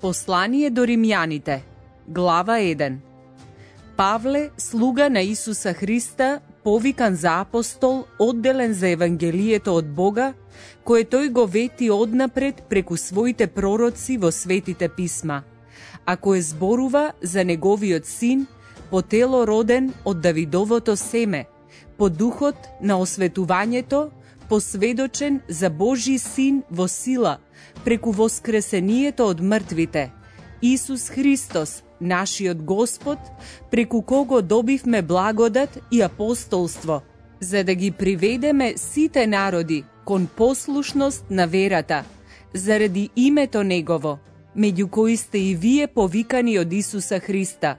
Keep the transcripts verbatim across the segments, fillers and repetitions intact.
Послание до римјаните, глава еден. Павле, слуга на Исуса Христа, повикан за апостол, одделен за Евангелието од Бога, кое тој го вети однапред преку своите пророци во светите писма, а кое зборува за неговиот син, по тело роден од Давидовото семе, по духот на осветувањето, посведочен за Божи син во сила, преку воскресението од мртвите, Исус Христос, нашиот Господ, преку кого добивме благодат и апостолство, за да ги приведеме сите народи кон послушност на верата, заради името Негово, меѓу кои сте и вие повикани од Исуса Христа,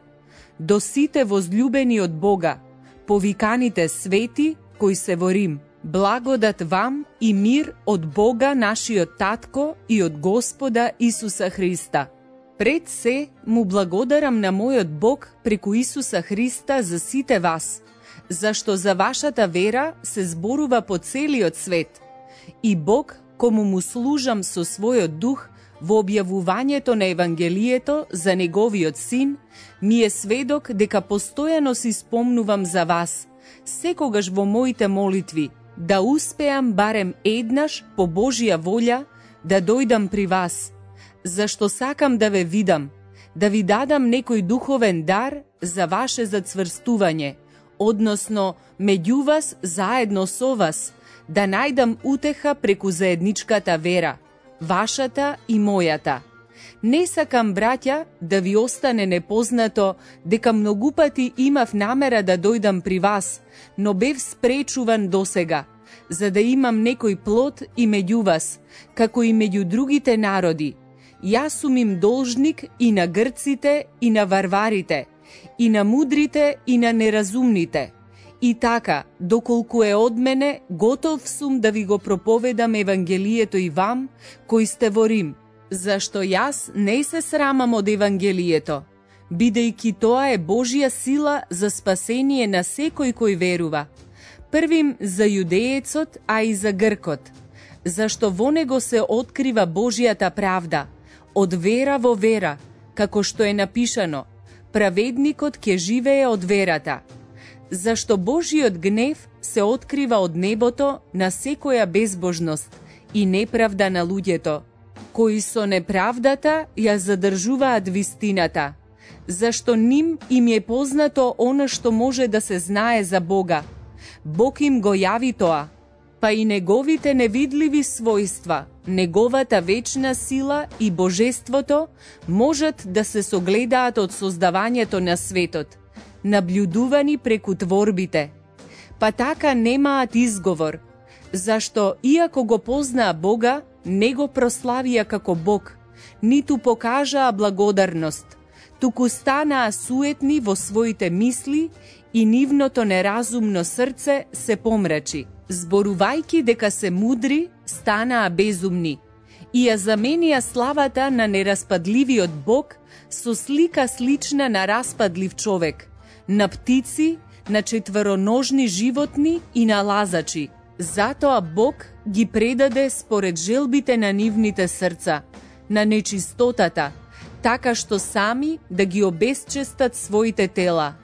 до сите возлюбени од Бога, повиканите свети кои се во Рим. Благодат вам и мир од Бога нашиот Татко и од Господа Исуса Христа. Пред се му благодарам на мојот Бог преку Исуса Христа за сите вас, зашто за вашата вера се зборува по целиот свет. И Бог, кому му служам со својот дух во објавувањето на Евангелието за Неговиот син, ми е сведок дека постојано си спомнувам за вас, секогаш во моите молитви, да успеам барем еднаш по Божја волја да дојдам при вас, зашто сакам да ве видам, да ви дадам некој духовен дар за ваше зацврстување, односно меѓу вас заедно со вас, да најдам утеха преку заедничката вера, вашата и мојата. Не сакам, браќа, да ви остане непознато дека многу пати имав намера да дојдам при вас, но бев спречуван досега, за да имам некој плод и меѓу вас, како и меѓу другите народи. Јас сум им должник и на грците и на варварите, и на мудрите и на неразумните. И така, доколку е од мене, готов сум да ви го проповедам Евангелието и вам, кои сте во Рим, зашто јас не се срамам од Евангелието, бидејќи тоа е Божја сила за спасение на секој кој верува. Првим за јудеецот, а и за гркот, зашто во него се открива Божјата правда, од вера во вера, како што е напишано, праведникот ќе живее од верата. Зашто Божиот гнев се открива од небото на секоја безбожност и неправда на луѓето, кои со неправдата ја задржуваат вистината, зашто ним им е познато она што може да се знае за Бога. Бог им го јави тоа, па и неговите невидливи својства, неговата вечна сила и божеството можат да се согледаат од создавањето на светот, наблюдувани преку творбите. Па така немаат изговор, зашто иако го познаа Бога, не го прославија како Бог, ниту покажаа благодарност, туку станаа суетни во своите мисли и нивното неразумно срце се помрачи. Зборувајќи дека се мудри, станаа безумни и ја заменија славата на нераспадливиот Бог со слика слична на распадлив човек, на птици, на четвороножни животни и на лазачи. Затоа Бог ги предаде според желбите на нивните срца, на нечистотата, така што сами да ги обесчестат своите тела.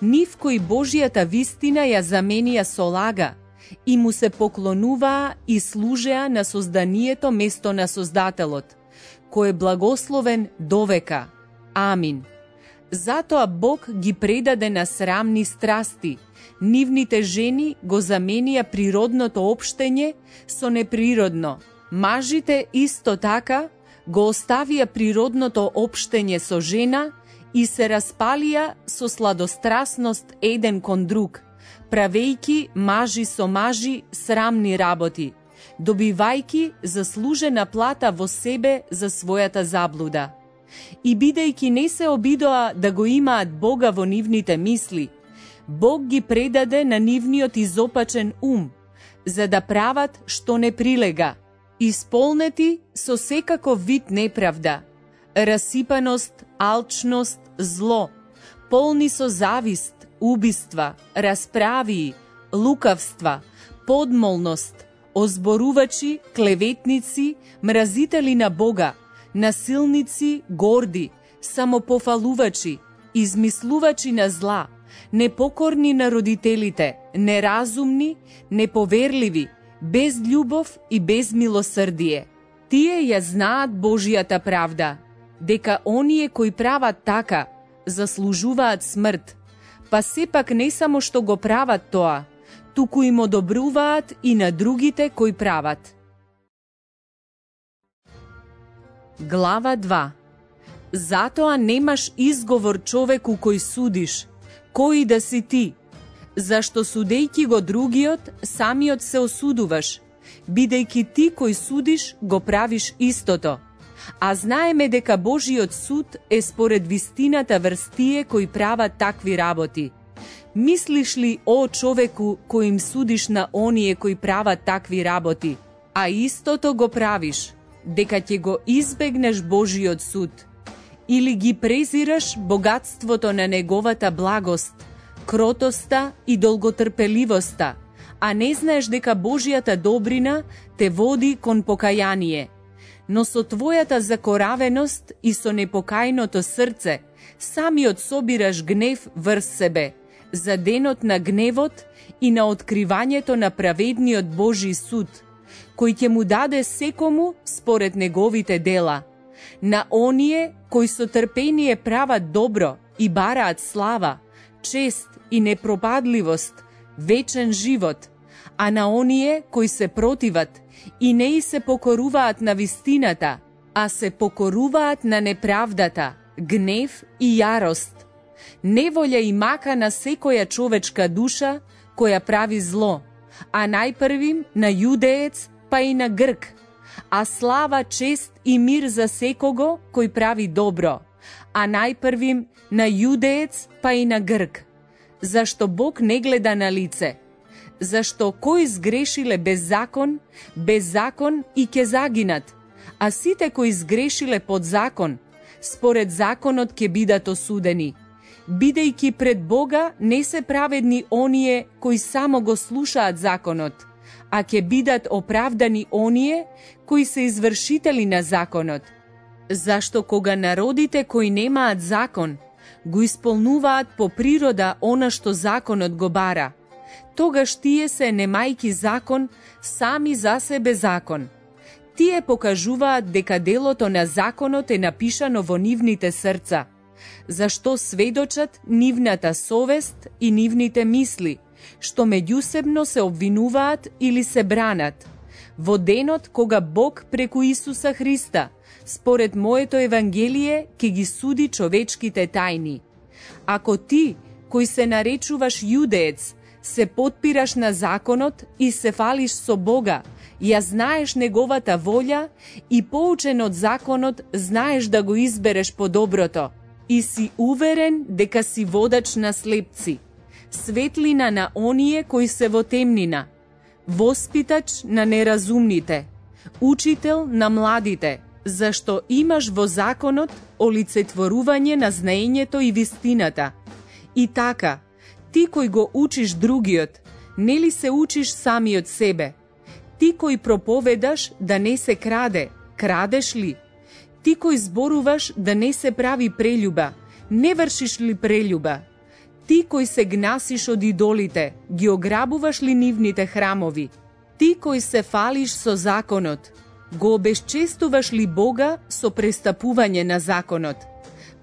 Нив кои Божјата вистина ја заменија со лага и му се поклонуваа и служеа на созданието место на Создателот, кој е благословен довека. Амин. Затоа Бог ги предаде на срамни страсти, нивните жени го заменија природното општење со неприродно. Мажите исто така го оставија природното општење со жена и се распалија со сладострасност еден кон друг, правејќи мажи со мажи срамни работи, добивајќи заслужена плата во себе за својата заблуда. И бидејќи не се обидоа да го имаат Бога во нивните мисли, Бог ги предаде на нивниот изопачен ум, за да прават што не прилега, исполнети со секаков вид неправда, расипаност, алчност, зло, полни со завист, убиства, расправии, лукавства, подмолност, озборувачи, клеветници, мразители на Бога, насилници, горди, самопофалувачи, измислувачи на зла, непокорни на родителите, неразумни, неповерливи, без љубов и без милосрдие. Тие ја знаат Божијата правда, дека оние кои прават така, заслужуваат смрт, па сепак не само што го прават тоа, туку им одобруваат и на другите кои прават. Глава два. Затоа немаш изговор човеку кој судиш, кој да си ти, зашто судејќи го другиот, самиот се осудуваш, бидејќи ти кој судиш го правиш истото. А знаеме дека Божиот суд е според вистината врз тие кои прават такви работи. Мислиш ли, о човеку, кој им судиш на оние кои прават такви работи, а истото го правиш, дека ќе го избегнеш Божиот суд? Или ги презираш богатството на неговата благост, кротоста и долготрпеливоста, а не знаеш дека Божијата добрина те води кон покаяние? Но со твојата закоравеност и со непокајното срце, самиот собираш гнев врз себе, за денот на гневот и на откривањето на праведниот Божи суд, кој ќе му даде секому според неговите дела. На оние кои со трпение прават добро и бараат слава, чест и непропадливост, вечен живот, а на оние кои се противат и не и се покоруваат на вистината, а се покоруваат на неправдата, гнев и јарост, неволја и мака на секоја човечка душа која прави зло, а најпрвим на јудеец па и на грк, а слава, чест и мир за секого кој прави добро, а најпрвим на јудеец па и на грк. Зашто Бог не гледа на лице, зашто кои сгрешиле без закон, без закон и ќе загинат, а сите кои сгрешиле под закон, според законот ќе бидат осудени, бидејќи пред Бога не се праведни оние кои само го слушаат законот, а ќе бидат оправдани оние кои се извршители на законот. Зашто кога народите кои немаат закон, го исполнуваат по природа она што законот го бара, тогаш тие се немајки закон, сами за себе закон. Тие покажуваат дека делото на законот е напишано во нивните срца, зашто сведочат нивната совест и нивните мисли, што меѓусебно се обвинуваат или се бранат, во денот кога Бог преку Исуса Христа, според моето Евангелие, ќе ги суди човечките тајни. Ако ти, кој се наречуваш јудеец, се потпираш на законот и се фалиш со Бога, ја знаеш неговата волја и поучен од законот знаеш да го избереш по доброто и си уверен дека си водач на слепци, светлина на оние кои се во темнина, воспитач на неразумните, учител на младите, зашто имаш во законот олицетворување на знаењето и вистината. И така, ти кој го учиш другиот, нели се учиш самиот себе? Ти кој проповедаш да не се краде, крадеш ли? Ти кој зборуваш да не се прави прелюба, не вршиш ли прелюба? Ти кој се гнасиш од идолите, ги ограбуваш ли нивните храмови? Ти кој се фалиш со законот, го обесчестуваш ли Бога со престапување на законот?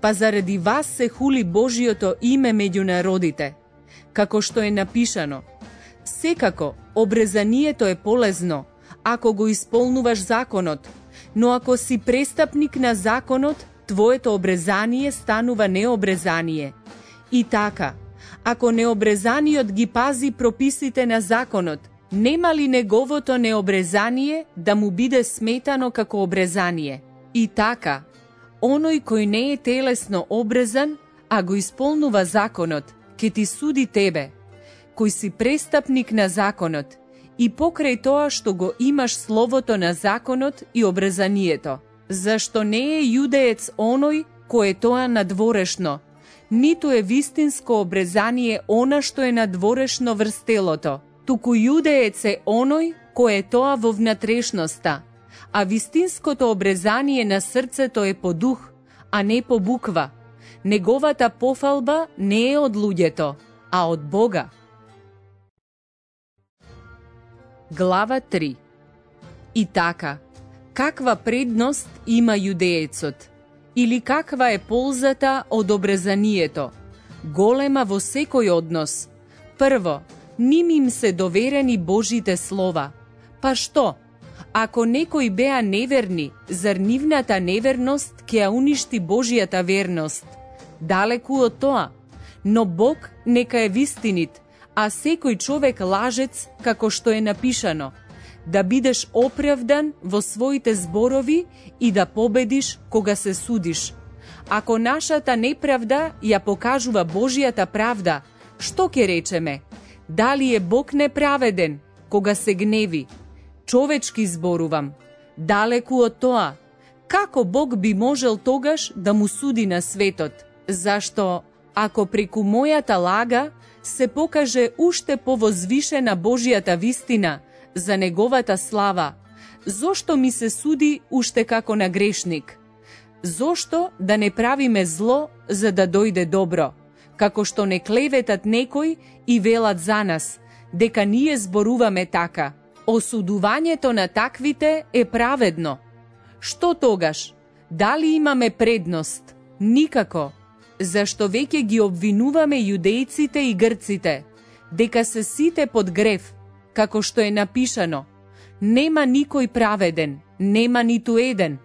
Па заради вас се хули Божиото име меѓу народите. Како што е напишано, секако обрезанието е полезно, ако го исполнуваш законот, но ако си престапник на законот, твоето обрезание станува необрезание. И така, ако необрезаниот ги пази прописите на законот, нема ли неговото необрезание да му биде сметано како обрезание? И така, оној кој не е телесно обрезан, а го исполнува законот, ќе ти суди тебе, кој си престапник на законот, и покрај тоа што го имаш словото на законот и обрезанието. Зашто не е јудеец оној кој е тоа надворешно, ниту е вистинско обрезание она што е надворешно врз телото, туку јудеец е оној кој е тоа во внатрешноста, а вистинското обрезание на срцето е по дух, а не по буква. Неговата пофалба не е од луѓето, а од Бога. Глава три. И така, каква предност има јудеецот? Или каква е ползата од обрезанието? Голема во секој однос. Прво, ним им се доверени Божите слова. Па што? Ако некои беа неверни, зар нивната неверност ќе ја уништи Божијата верност? Далеку од тоа. Но Бог нека е вистинит, а секој човек лажец, како што е напишано, да бидеш оправдан во своите зборови и да победиш кога се судиш. Ако нашата неправда ја покажува Божијата правда, што ќе речеме? Дали е Бог неправеден кога се гневи? Човечки зборувам. Далеку од тоа. Како Бог би можел тогаш да му суди на светот? Зашто, ако преку мојата лага се покаже уште повозвишена Божијата вистина за неговата слава, зошто ми се суди уште како на грешник? Зошто да не правиме зло за да дојде добро, како што не клеветат некој и велат за нас, дека ние зборуваме така? Осудувањето на таквите е праведно. Што тогаш? Дали имаме предност? Никако. Зашто веќе ги обвинуваме јудејците и грците, дека се сите под грев, како што е напишано: нема никој праведен, нема ниту еден,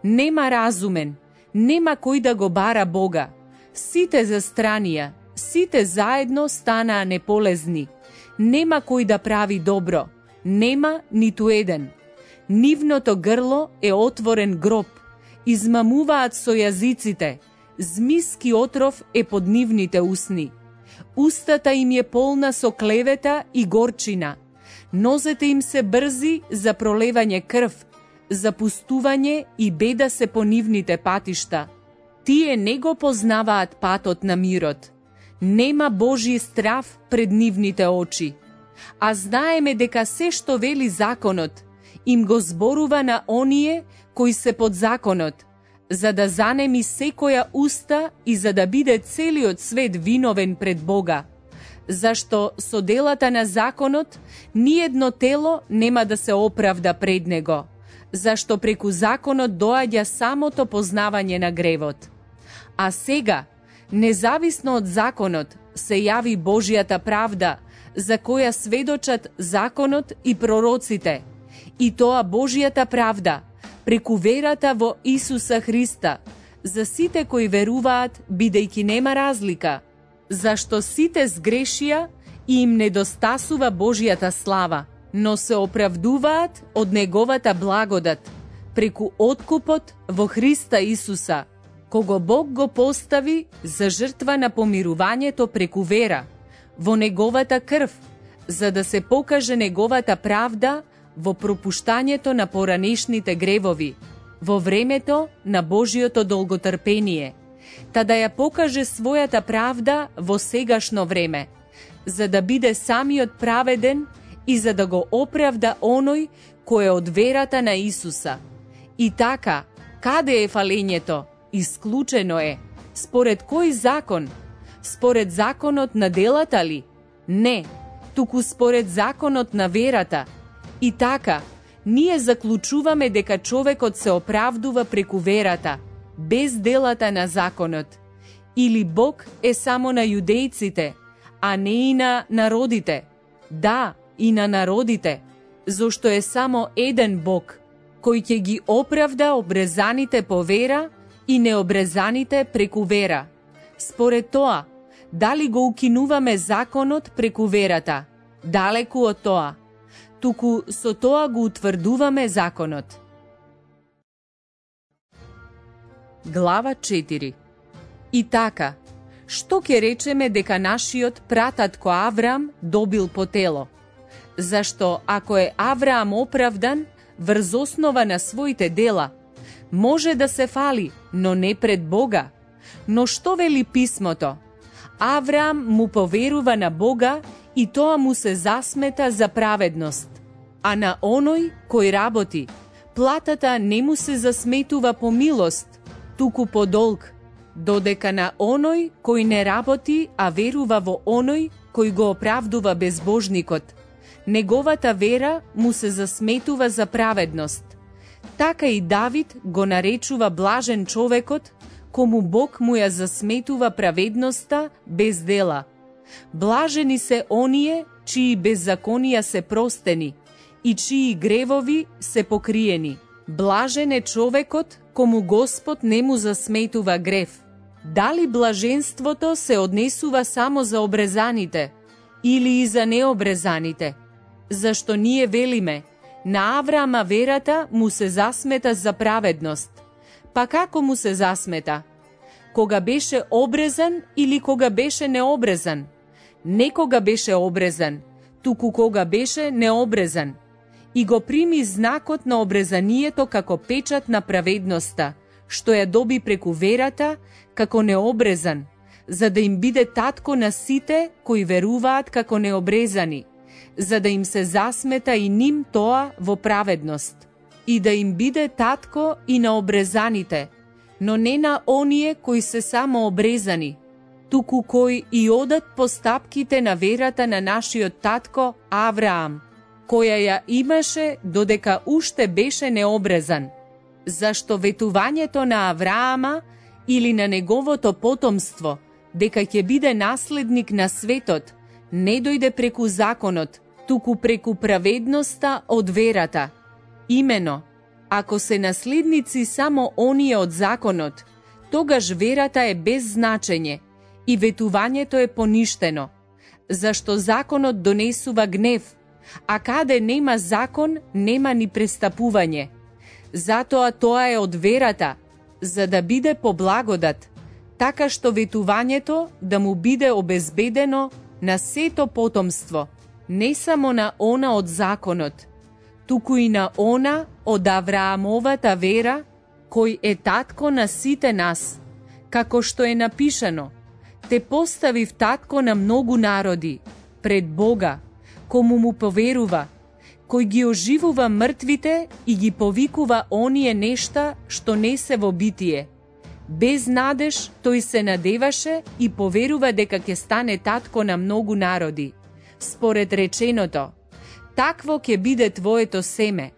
нема разумен, нема кој да го бара Бога. Сите застранија, сите заедно станаа неполезни, нема кој да прави добро, нема ниту еден. Нивното грло е отворен гроб, измамуваат со јазиците, змиски отров е под нивните усни. Устата им е полна со клевета и горчина. Нозете им се брзи за пролевање крв, за пустување и беда се по нивните патишта. Тие не го познаваат патот на мирот. Нема Божи страв пред нивните очи. А знаеме дека се што вели законот, им го зборува на оние кои се под законот, за да занеми секоја уста и за да биде целиот свет виновен пред Бога. Зашто со делата на законот ниедно тело нема да се оправда пред него, зашто преку законот доаѓа самото познавање на гревот. А сега, независно од законот, се јави Божијата правда, за која сведочат законот и пророците, и тоа Божијата правда, преку верата во Исуса Христа, за сите кои веруваат, бидејќи нема разлика, зашто сите сгрешија и им недостасува Божијата слава, но се оправдуваат од Неговата благодат, преку откупот во Христа Исуса, кого Бог го постави за жртва на помирувањето преку вера, во Неговата крв, за да се покаже Неговата правда во пропуштањето на поранешните гревови, во времето на Божиото долготрпение, та да ја покаже својата правда во сегашно време, за да биде самиот праведен и за да го оправда оној кој е од верата на Исуса. И така, каде е фалењето? Исклучено е. Според кој закон? Според законот на делата ли? Не, туку според законот на верата. И така, ние заклучуваме дека човекот се оправдува преку верата, без делата на законот. Или Бог е само на јудејците, а не и на народите. Да, и на народите, зашто е само еден Бог, кој ќе ги оправда обрезаните по вера и необрезаните преку вера. Според тоа, дали го укинуваме законот преку верата? Далеку од тоа. Туку со тоа го утврдуваме законот. Глава четири. И така, што ќе речеме дека нашиот прататко Авраам добил по тело? Зашто ако е Авраам оправдан врз основа на своите дела, може да се фали, но не пред Бога. Но што вели писмото? Авраам му поверува на Бога и тоа му се засмета за праведност. А на оној кој работи, Платата не му се засметува по милост, туку по долг, додека на оној кој не работи, а верува во оној кој го оправдува безбожникот, неговата вера му се засметува за праведност. Така и Давид го наречува блажен човекот, кому Бог му ја засметува праведноста без дела. Блажени се оние чии беззаконија се простени и чии гревови се покриени. Блажен е човекот кому Господ не му засметува грев. Дали блаженството се однесува само за обрезаните или и за необрезаните? Зашто ние велиме, на Авраама верата му се засмета за праведност. Па како му се засмета? Кога беше обрезан или кога беше необрезан? Не кога беше обрезан, туку кога беше необрезан. И го прими знакот на обрезанието како печат на праведноста, што ја доби преку верата како необрезан, за да им биде татко на сите кои веруваат како необрезани, за да им се засмета и ним тоа во праведност, и да им биде татко и на обрезаните, но не на оние кои се само обрезани, туку кои и одат по стапките на верата на нашиот татко Авраам, која ја имаше додека уште беше необрезан. Зашто ветувањето на Авраама или на неговото потомство, дека ќе биде наследник на светот, не дојде преку законот, туку преку праведноста од верата. Имено, ако се наследници само оние од законот, тогаш верата е без значење и ветувањето е поништено, зашто законот донесува гнев, а каде нема закон, нема ни престапување. Затоа тоа е од верата, за да биде по благодат, така што ветувањето да му биде обезбедено на сето потомство, не само на она од законот, туку и на она од Авраамовата вера, кој е татко на сите нас, како што е напишано: те поставив татко на многу народи, пред Бога, кому му поверува, кој ги оживува мртвите и ги повикува оние нешта што не се во битие. Без надеж тој се надеваше и поверува дека ќе стане татко на многу народи. Според реченото, такво ќе биде твоето семе.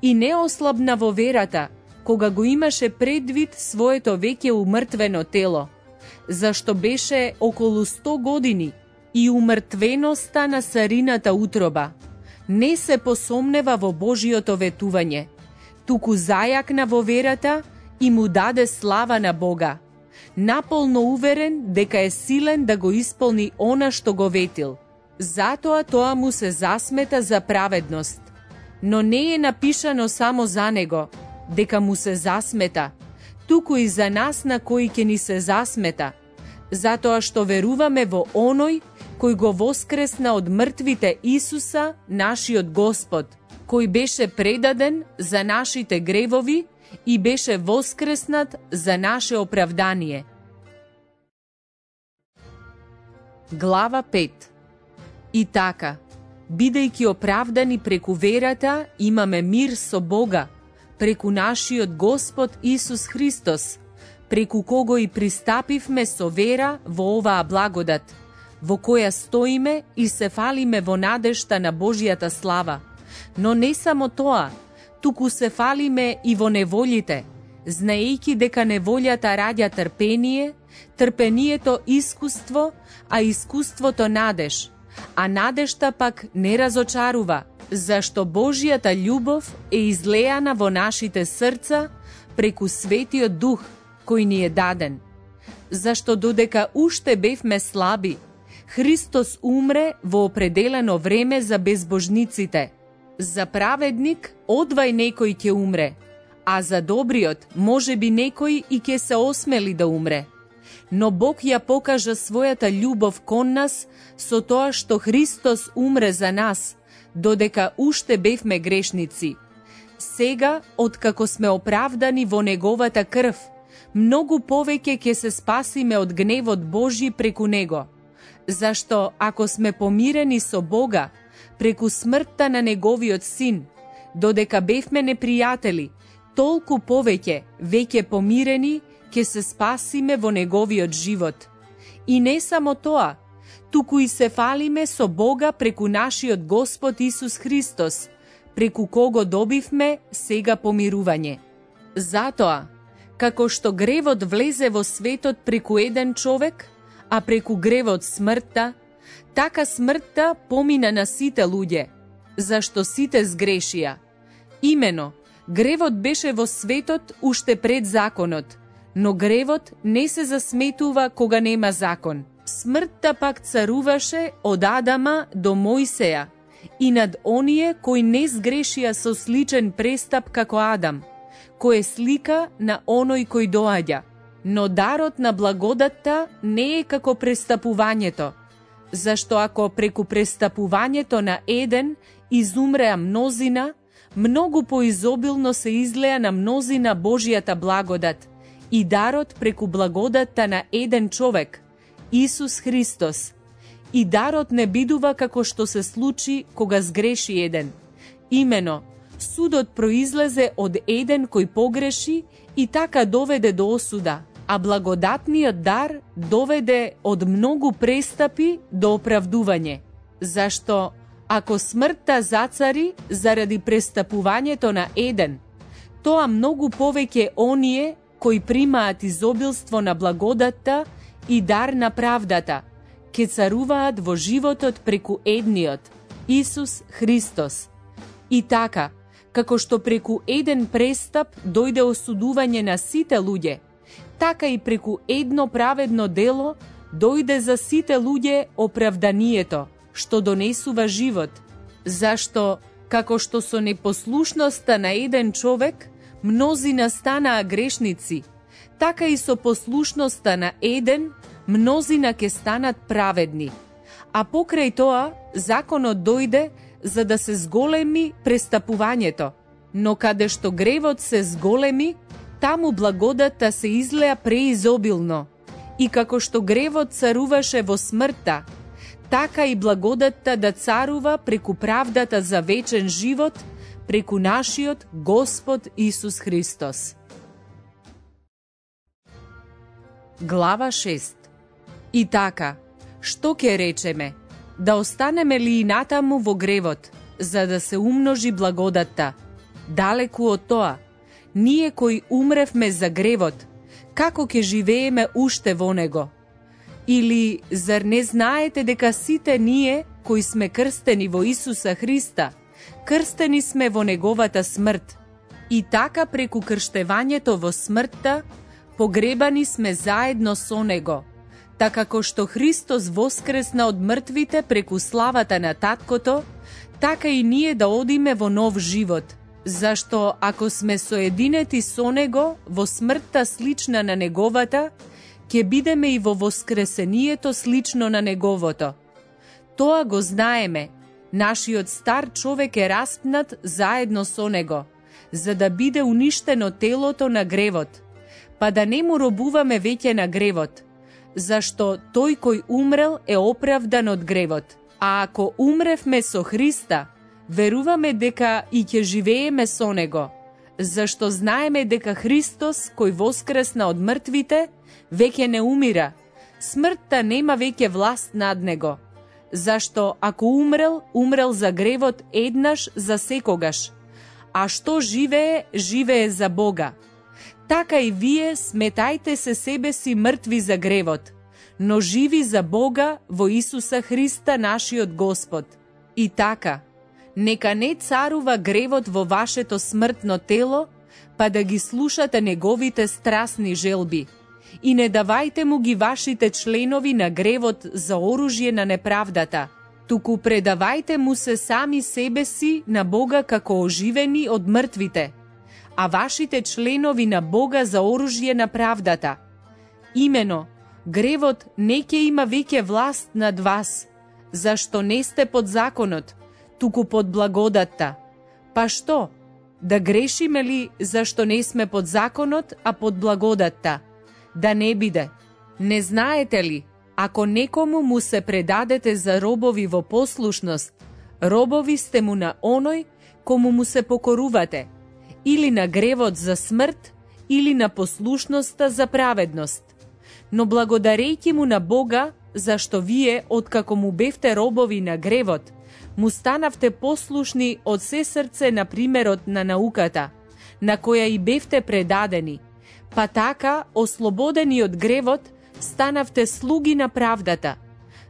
И не ослабна во верата, кога го имаше предвид своето веќе умртвено тело, зашто беше околу сто години и умртвеноста на Сарината утроба. Не се посомнева во Божиото ветување, туку зајакна во верата и му даде слава на Бога, наполно уверен дека е силен да го исполни она што го ветил. Затоа тоа му се засмета за праведност. Но не е напишано само за него, дека му се засмета, туку и за нас на кои ќе ни се засмета, затоа што веруваме во оној кој го воскресна од мртвите Исуса, нашиот Господ, кој беше предаден за нашите гревови и беше воскреснат за наше оправдание. Глава пет. И така, бидејќи оправдани преку верата, имаме мир со Бога, преку нашиот Господ Исус Христос, преку кого и пристапивме со вера во оваа благодат, во која стоиме и се фалиме во надежта на Божијата слава. Но не само тоа, туку се фалиме и во неволите, знаејќи дека неволјата раѓа трпение, трпението искуство, а искуството надеж, а надежта пак не разочарува, зашто Божијата љубов е излеана во нашите срца преку Светиот Дух кој ни е даден. Зашто додека уште бевме слаби, Христос умре во определено време за безбожниците. За праведник одвај некој ќе умре, а за добриот може би некој и ќе се осмели да умре. Но Бог ја покажа својата љубов кон нас со тоа што Христос умре за нас, додека уште бевме грешници. Сега, откако сме оправдани во Неговата крв, многу повеќе ќе се спасиме од гневот Божи преку Него. Зашто, ако сме помирени со Бога, преку смртта на Неговиот Син, Додека бевме непријатели, толку повеќе, веќе помирени, ќе се спасиме во неговиот живот. И не само тоа, туку и се фалиме со Бога преку нашиот Господ Исус Христос, преку кого добивме сега помирување. Затоа, како што гревот влезе во светот преку еден човек, а преку гревот смртта, така смртта помина на сите луѓе, зашто сите сгрешија. Имено, гревот беше во светот уште пред законот, но гревот не се засметува кога нема закон. Смртта пак царуваше од Адама до Мојсеја и над оние кои не сгрешија со сличен престап како Адам, кој е слика на оној кој доаѓа. Но дарот на благодатта не е како престапувањето, зашто ако преку престапувањето на еден изумреа мнозина, многу поизобилно се излеа на мнозина Божијата благодат и дарот преку благодатта на еден човек, Исус Христос. И дарот не бидува како што се случи кога сгреши еден. Имено, судот произлезе од еден кој погреши и така доведе до осуда, а благодатниот дар доведе од многу престапи до оправдување. Зашто, ако смртта зацари заради престапувањето на еден, тоа многу повеќе оние кои примаат изобилство на благодатта и дар на правдата, ке царуваат во животот преку едниот, Исус Христос. И така, како што преку еден престап дојде осудување на сите луѓе, така и преку едно праведно дело дојде за сите луѓе оправданието, што донесува живот. Зашто, како што со непослушноста на еден човек, мнозина станаа грешници, така и со послушноста на еден, мнозина ке станат праведни. А покрај тоа, законот дојде за да се зголеми престапувањето. Но каде што гревот се зголеми, таму благодатта се излеа преизобилно. И како што гревот царуваше во смртта, така и благодатта да царува преку правдата за вечен живот, преку нашиот Господ Исус Христос. Глава шеста. И така, што ќе речеме? Да останеме ли и натаму во гревот, за да се умножи благодатта? Далеку од тоа, ние кои умревме за гревот, како ќе живееме уште во него? Или, зар не знаете дека сите ние, кои сме крстени во Исуса Христа, крстени сме во неговата смрт? И така преку крштевањето во смртта, погребани сме заедно со него, така како што Христос воскресна од мртвите преку славата на Таткото, така и ние да одиме во нов живот. Зашто ако сме соединети со него во смртта слична на неговата, ќе бидеме и во воскресението слично на неговото. Тоа го знаеме, нашиот стар човек е распнат заедно со него, за да биде уништено телото на гревот, па да не му робуваме веќе на гревот, зашто тој кој умрел е оправдан од гревот. А ако умревме со Христа, веруваме дека и ќе живееме со него, зашто знаеме дека Христос, кој воскресна од мртвите, веќе не умира. Смртта нема веќе власт над него, зашто ако умрел, умрел за гревот еднаш за секогаш, а што живее, живее за Бога. Така и вие сметајте се себе си мртви за гревот, но живи за Бога во Исуса Христа нашиот Господ. И така, нека не царува гревот во вашето смртно тело, па да ги слушате неговите страсни желби. И не давајте му ги вашите членови на гревот за оружје на неправдата, туку предавајте му се сами себе си на Бога како оживени од мртвите, а вашите членови на Бога за оружје на правдата. Имено, гревот не ќе има веќе власт над вас, зашто не сте под законот, туку под благодатта. Па што? Да грешиме ли зашто не сме под законот, а под благодатта? Да не биде. Не знаете ли, ако некому му се предадете за робови во послушност, робови сте му на оној кому му се покорувате, или на гревот за смрт, или на послушноста за праведност. Но благодарејќи му на Бога, зашто вие, откако му бевте робови на гревот, му станавте послушни од се срце на примерот на науката, на која и бевте предадени, па така, ослободени од гревот, станавте слуги на правдата.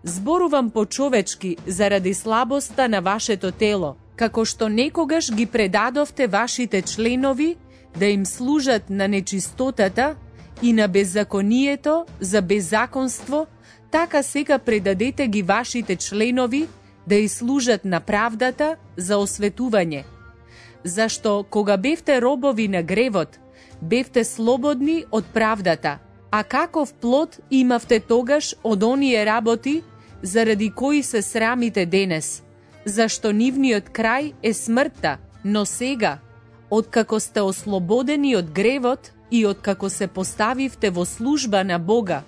Зборувам по-човечки заради слабоста на вашето тело, како што некогаш ги предадовте вашите членови да им служат на нечистотата и на беззаконието за беззаконство, така сега предадете ги вашите членови да и служат на правдата за осветување. Зашто кога бевте робови на гревот, бевте слободни од правдата, а каков плод имавте тогаш од оние работи, заради кои се срамите денес, зашто нивниот крај е смртта, но сега, откако сте ослободени од гревот и откако се поставивте во служба на Бога,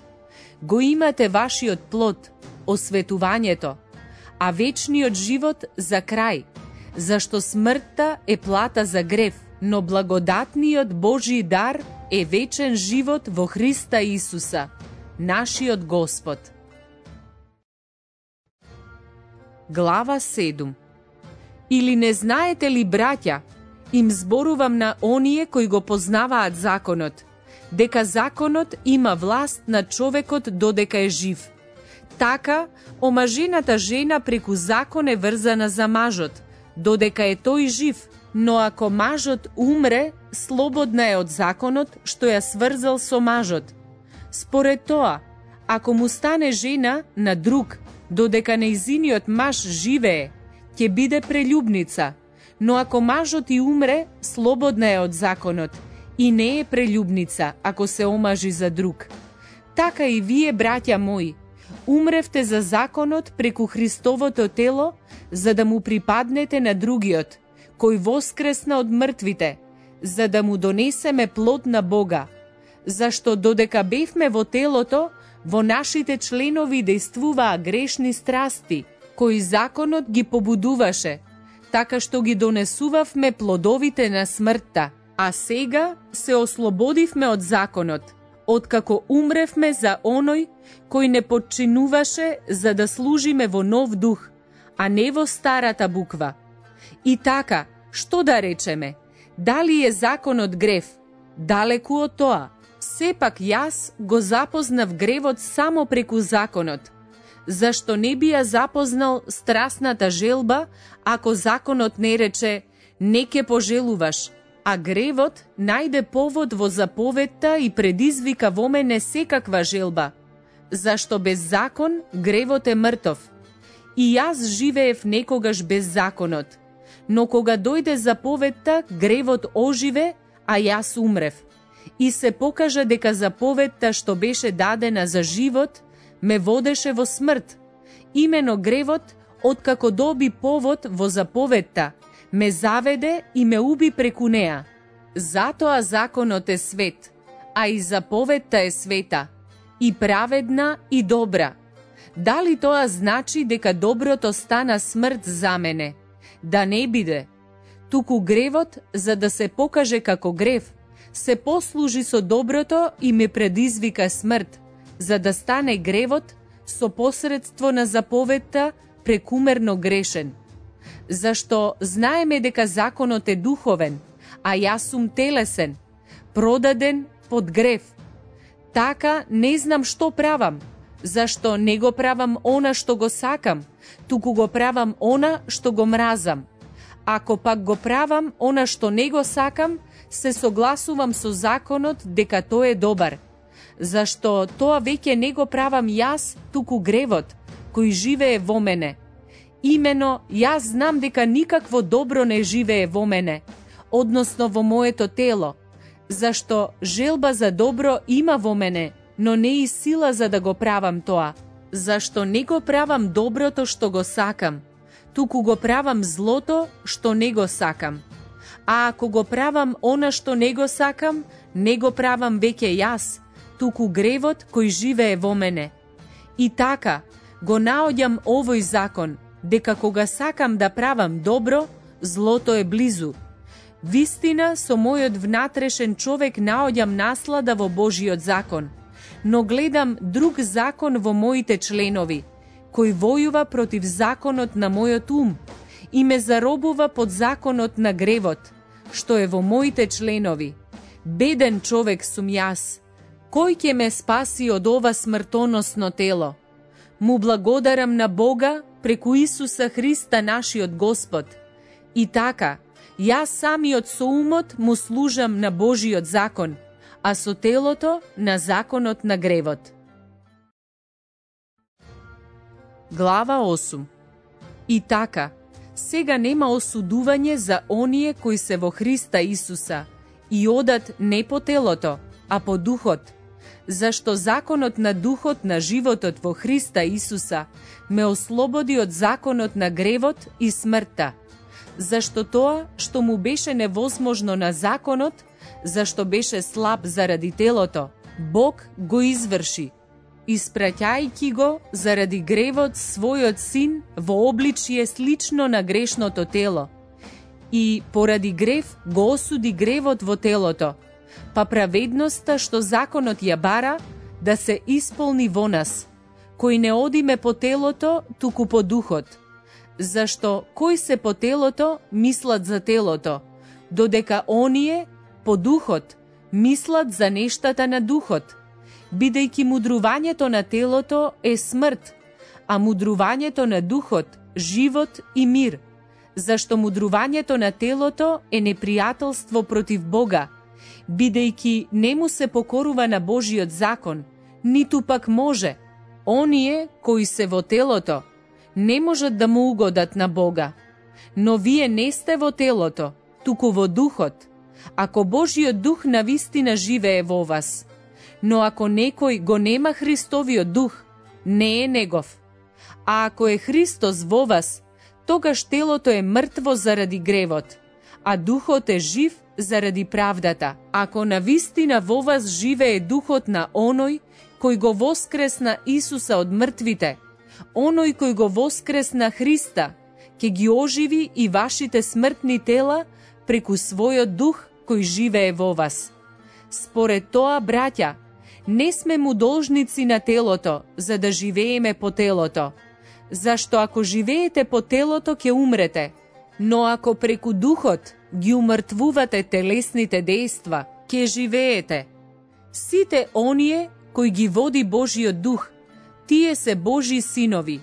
го имате вашиот плод, осветувањето, а вечниот живот за крај, зашто смртта е плата за грев, но благодатниот Божи дар е вечен живот во Христа Исуса, нашиот Господ. Глава седум. Или не знаете ли, браќа, им зборувам на оние кои го познаваат законот, дека законот има власт над човекот додека е жив. Така, омажената жена преку закон е врзана за мажот, додека е тој жив, но ако мажот умре, слободна е од законот што ја сврзал со мажот. Според тоа, ако му стане жена на друг, додека нејзиниот маж живее, ќе биде прелюбница, но ако мажот и умре, слободна е од законот и не е прелюбница ако се омажи за друг. Така и вие, браќа мои, умревте за законот преку Христовото тело, за да му припаднете на другиот, кој воскресна од мртвите, за да му донесеме плод на Бога. Зашто додека бевме во телото, во нашите членови дејствуваа грешни страсти, кои законот ги побудуваше, така што ги донесувавме плодовите на смртта. А сега се ослободивме од законот, откако умревме за оној кој не подчинуваше за да служиме во нов дух, а не во старата буква. И така, што да речеме? Дали е законот грев? Далеку од тоа. Сепак јас го запознав гревот само преку законот. Зашто не би ја запознал страсната желба, ако законот не рече не ке пожелуваш, а гревот најде повод во заповедта и предизвика во мене секаква желба. Зашто без закон гревот е мртов. И јас живеев некогаш без законот, но кога дојде заповедта, гревот оживе, а јас умрев. И се покажа дека заповедта што беше дадена за живот, ме водеше во смрт. Имено гревот, откако доби повод во заповедта, ме заведе и ме уби преку неа. Затоа законот е свет, а и заповедта е света, и праведна и добра. Дали тоа значи дека доброто стана смрт за мене? Да не биде. Туку гревот, за да се покаже како грев, се послужи со доброто и ме предизвика смрт, за да стане гревот со посредство на заповедта прекумерно грешен. Зашто знаеме дека законот е духовен, а јас сум телесен, продаден под грев. Така не знам што правам, зашто не го правам она што го сакам, туку го правам она што го мразам. Ако пак го правам она што не го сакам, се согласувам со законот дека тој е добар. Зашто тоа веќе не го правам јас, туку гревот, кој живее во мене. Имено, јас знам дека никакво добро не живее во мене, односно во моето тело, зашто желба за добро има во мене, но не и сила за да го правам тоа. Зашто не го правам доброто што го сакам, туку го правам злото што не го сакам. А ако го правам она што не го сакам, не го правам веќе јас, туку гревот кој живее во мене. И така, го наоѓам овој закон, дека кога сакам да правам добро, злото е близу. Вистина, со мојот внатрешен човек наоѓам наслада во Божиот закон, но гледам друг закон во моите членови, кој војува против законот на мојот ум и ме заробува под законот на гревот, што е во моите членови. Беден човек сум јас. Кој ќе ме спаси од ова смртоносно тело? Му благодарам на Бога преку Исуса Христа нашиот Господ. И така, јас самиот со умот му служам на Божиот закон, а со телото на законот на гревот. Глава осум. И така, сега нема осудување за оние кои се во Христа Исуса и одат не по телото, а по духот, зашто законот на духот на животот во Христа Исуса ме ослободи од законот на гревот и смртта, зашто тоа што му беше невозможно на законот, зашто беше слаб заради телото, Бог го изврши, испраќајќи го заради гревот својот син во обличие слично на грешното тело, и поради грев го осуди гревот во телото, па праведноста што законот ја бара да се исполни во нас, кои не одиме по телото, туку по духот. Зашто кои се по телото мислат за телото, додека оние по духот мислат за нештата на духот, бидејќи мудрувањето на телото е смрт, а мудрувањето на духот живот и мир, зашто мудрувањето на телото е непријателство против Бога, бидејќи не му се покорува на Божиот закон, ниту пак може. Оние кои се во телото не можат да му угодат на Бога. Но вие не сте во телото, туку во духот, ако Божиот дух навистина живее во вас. Но ако некој го нема Христовиот дух, не е негов. А ако е Христос во вас, тогаш телото е мртво заради гревот, а духот е жив заради правдата. Ако навистина во вас живее духот на оној кој го воскресна Исуса од мртвите, оној кој го воскресна Христа, ќе ги оживи и вашите смртни тела преку својот дух кој живее во вас. Според тоа, браќа, не сме му должници на телото, за да живееме по телото. Зашто ако живеете по телото, ќе умрете, но ако преку духот ги умртвувате телесните дејства, ќе живеете. Сите оние кои ги води Божиот дух, тие се Божи синови.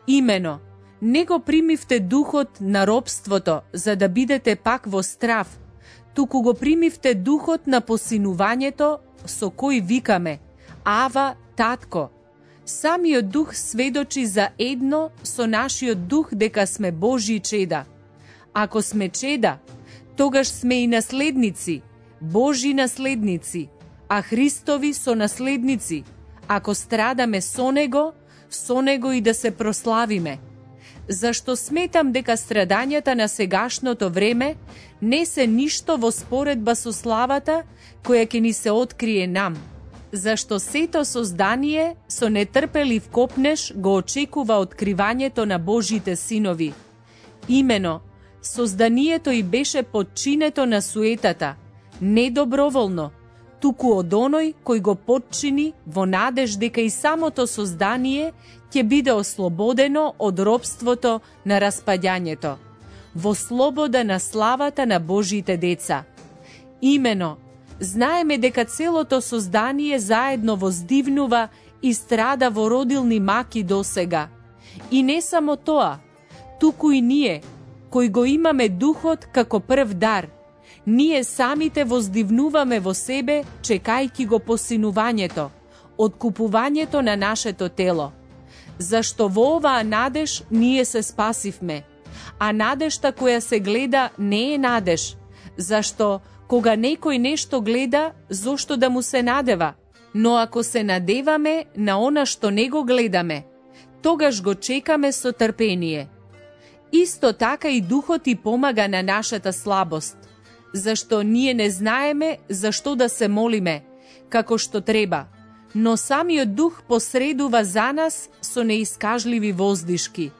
Имено, не го примивте духот на робството, за да бидете пак во страв, туку го примивте духот на посинувањето, со кој викаме: Ава, татко. Самиот дух сведочи за едно со нашиот дух дека сме Божји чеда. Ако сме чеда, тогаш сме и наследници, Божји наследници, а Христови сонаследници, ако страдаме со Него, со Него и да се прославиме. Зашто сметам дека страдањата на сегашното време не се ништо во споредба со славата која ќе ни се открие нам. Зашто сето создание со нетрпелив копнеш го очекува откривањето на Божите синови. Имено, созданието и беше подчинето на суетата, не доброволно, туку од оној кој го подчини во надеж дека и самото создание ќе биде ослободено од робството на распаѓањето, во слобода на славата на Божите деца. Имено, знаеме дека целото создание заедно воздивнува и страда во родилни маки досега. И не само тоа, туку и ние, кои го имаме духот како прв дар, ние самите воздивнуваме во себе, чекајќи го посинувањето, откупувањето на нашето тело. Зашто во оваа надеж ние се спасивме, а надежта која се гледа не е надеж, зашто кога некој нешто гледа, зошто да му се надева? Но ако се надеваме на она што не го гледаме, тогаш го чекаме со трпение. Исто така и духот и помага на нашата слабост, зашто ние не знаеме зашто да се молиме, како што треба, но самиот дух посредува за нас со неискажливи воздишки.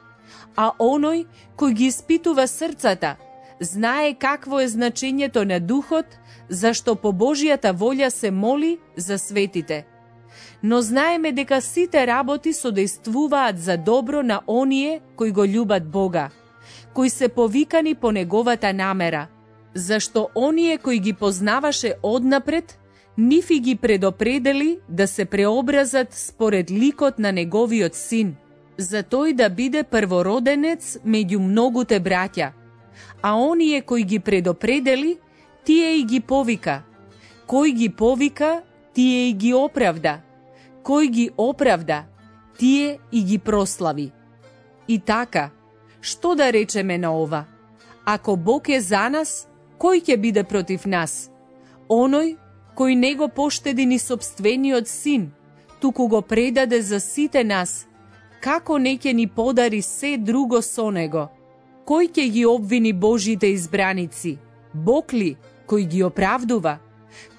А оној кој ги испитува срцата, Знае какво е значењето на духот, зашто по Божјата волја се моли за светите. Но знаеме дека сите работи содействуваат за добро на оние кои го љубат Бога, кои се повикани по неговата намера, зашто оние кои ги познаваше однапред, нив и ги предопредели да се преобразат според ликот на неговиот син, за тој да биде првороденец меѓу многуте браќа. А оние кои ги предопредели, тие и ги повика. Кој ги повика, тие и ги оправда. Кој ги оправда, тие и ги прослави. И така, што да речеме на ова? Ако Бог е за нас, кој ќе биде против нас? Оној кој не го поштеди ни сопствениот син, туку го предаде за сите нас, како не ќе ни подари се друго со него? Кој ќе ги обвини Божите избраници? Бог ли, кој ги оправдува?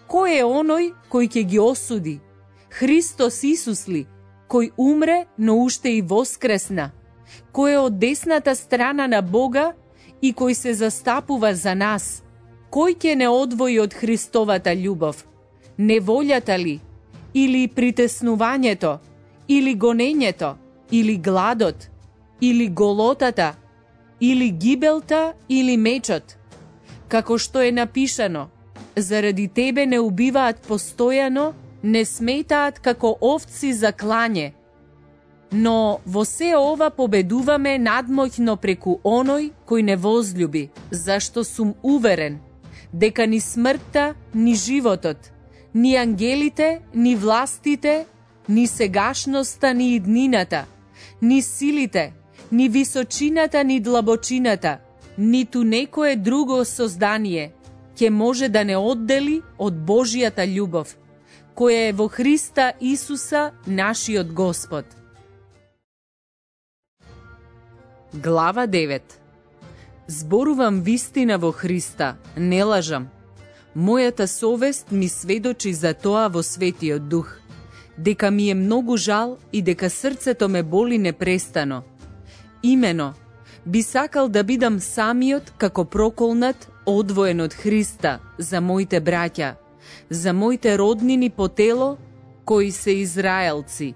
Кој е оној кој ќе ги осуди? Христос Исус ли, кој умре, но уште и воскресна? Кој е од десната страна на Бога и кој се застапува за нас? Кој ќе не одвои од Христовата љубов? Неволјата ли? Или притеснувањето? Или гонењето? Или гладот? Или голотата? Или гибелта? Или мечот? Како што е напишано, заради тебе не убиваат постојано, не сметаат како овци за клање. Но во се ова победуваме надмоќно преку оној кој не возлюби, зашто сум уверен дека ни смртта, ни животот, ни ангелите, ни властите, ни сегашноста, ни иднината, ни силите, ни височината, ни длабочината, ниту некое друго создание ќе може да не оддели од Божјата љубов, која е во Христа Исуса, нашиот Господ. Глава девет. Зборувам вистина во Христа, не лажам. Мојата совест ми сведочи за тоа во Светиот Дух, дека ми е многу жал и дека срцето ме боли непрестано. Имено, би сакал да бидам самиот како проколнат, одвоен од Христа за моите браќа, за моите роднини по тело, кои се израелци,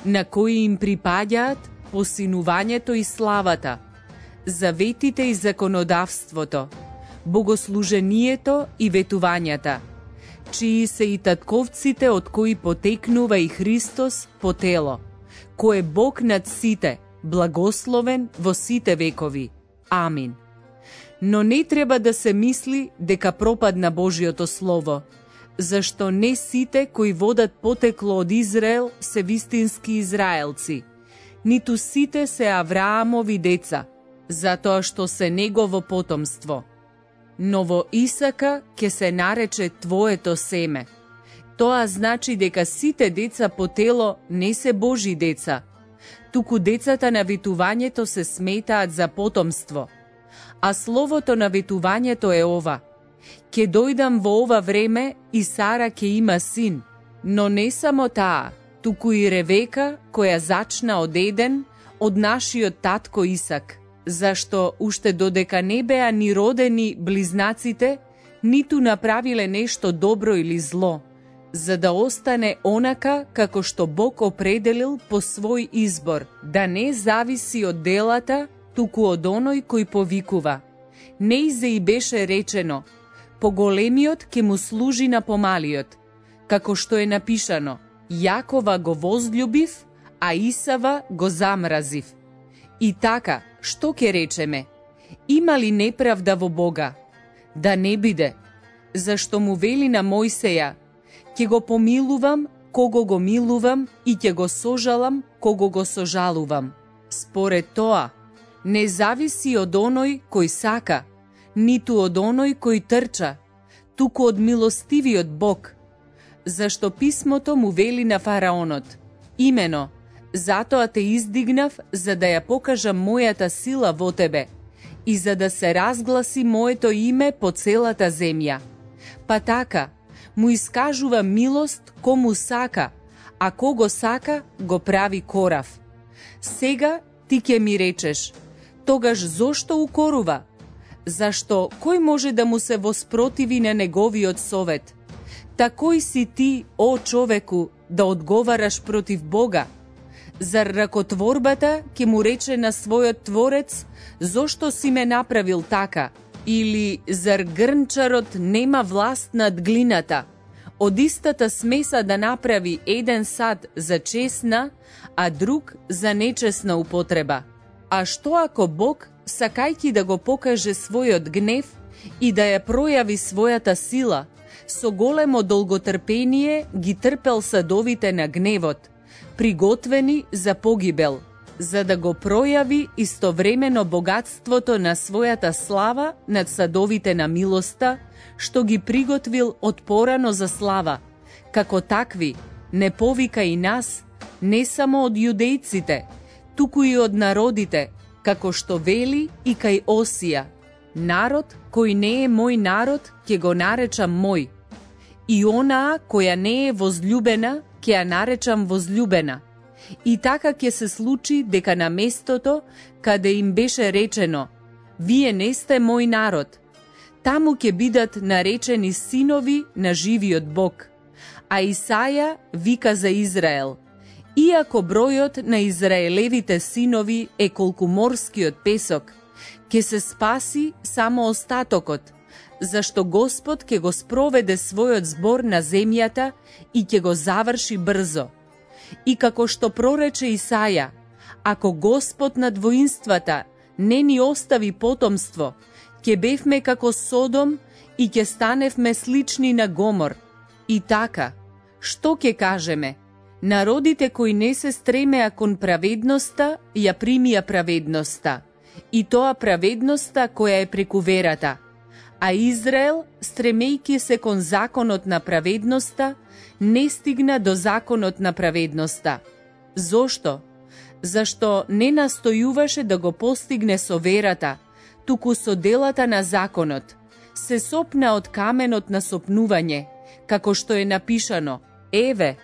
на кои им припаѓаат посинувањето и славата, заветите и законодавството, богослужението и ветувањата, чии се и татковците од кои потекнува и Христос по тело, кој е Бог над сите, благословен во сите векови. Амин. Но не треба да се мисли дека пропадна Божјото Слово, зашто не сите кои водат потекло од Израел се вистински израелци, ниту сите се Авраамови деца, затоа што се негово потомство. Но во Исака ќе се нарече твоето семе. Тоа значи дека сите деца по тело не се Божи деца, туку децата на ветувањето се сметаат за потомство. А словото на ветувањето е ова: ќе дојдам во ова време и Сара ќе има син, но не само таа, туку и Ревека, која зачна од Еден, од нашиот татко Исак, зашто уште додека не беа ни родени близнаците, ниту направиле нешто добро или зло, за да остане онака како што Бог определил по свој избор, да не зависи од делата, туку од оној кој повикува. Неизе и беше речено: поголемиот ќе му служи на помалиот, како што е напишано: Јакова го возљубив, а Исава го замразив. И така, што ќе речеме? Има ли неправда во Бога? Да не биде, зашто му вели на Мојсеја: ќе го помилувам кого го милувам и ќе го сожалам кого го сожалувам. Според тоа, не зависи од оној кој сака, ниту од оној кој трча, туку од милостивиот Бог. Зашто писмото му вели на фараонот: имено, затоа те издигнав за да ја покажам мојата сила во тебе и за да се разгласи моето име по целата земја. Па така, му искажува милост кому сака, а кого сака го прави корав. Сега ти ќе ми речеш: тогаш зошто укорува? Зашто кој може да му се воспротиви на неговиот совет? Та кој си ти, о човеку, да одговараш против Бога? Зар ракотворбата ќе му рече на својот творец, зошто си ме направил така? Или зар грнчарот нема власт над глината? Од истата смеса да направи еден сад за чесна, а друг за нечесна употреба. А што ако Бог, сакајќи да го покаже својот гнев и да ја пројави својата сила, со големо долготрпение ги трпел садовите на гневот, приготвени за погибел, за да го пројави истовремено богатството на својата слава над садовите на милоста, што ги приготвил од порано за слава. Како такви, не повика и нас, не само од јудејците, туку и од народите, како што вели и кај Осија: народ кој не е мој народ, ќе го наречам мој, и онаа која не е возлюбена, ќе ја наречам возлюбена. И така ќе се случи дека на местото каде им беше речено: вие не сте мој народ, таму ќе бидат наречени синови на живиот Бог. А Исаја вика за Израел: иако бројот на израелевите синови е колку морскиот песок, ќе се спаси само остатокот, зашто Господ ќе го спроведе својот збор на земјата и ќе го заврши брзо. И како што прорече Исаја: ако Господ над воинствата не ни остави потомство, ќе бевме како Содом и ќе станевме слични на Гомор. И така, што ќе кажеме? Народите кои не се стремеа кон праведноста, ја примија праведноста, и тоа праведноста која е преку верата. А Израел, стремејќи се кон законот на праведноста, не стигна до законот на праведноста. Зошто? Зашто не настојуваше да го постигне со верата, туку со делата на законот. Се сопна од каменот на сопнување, како што е напишано: еве,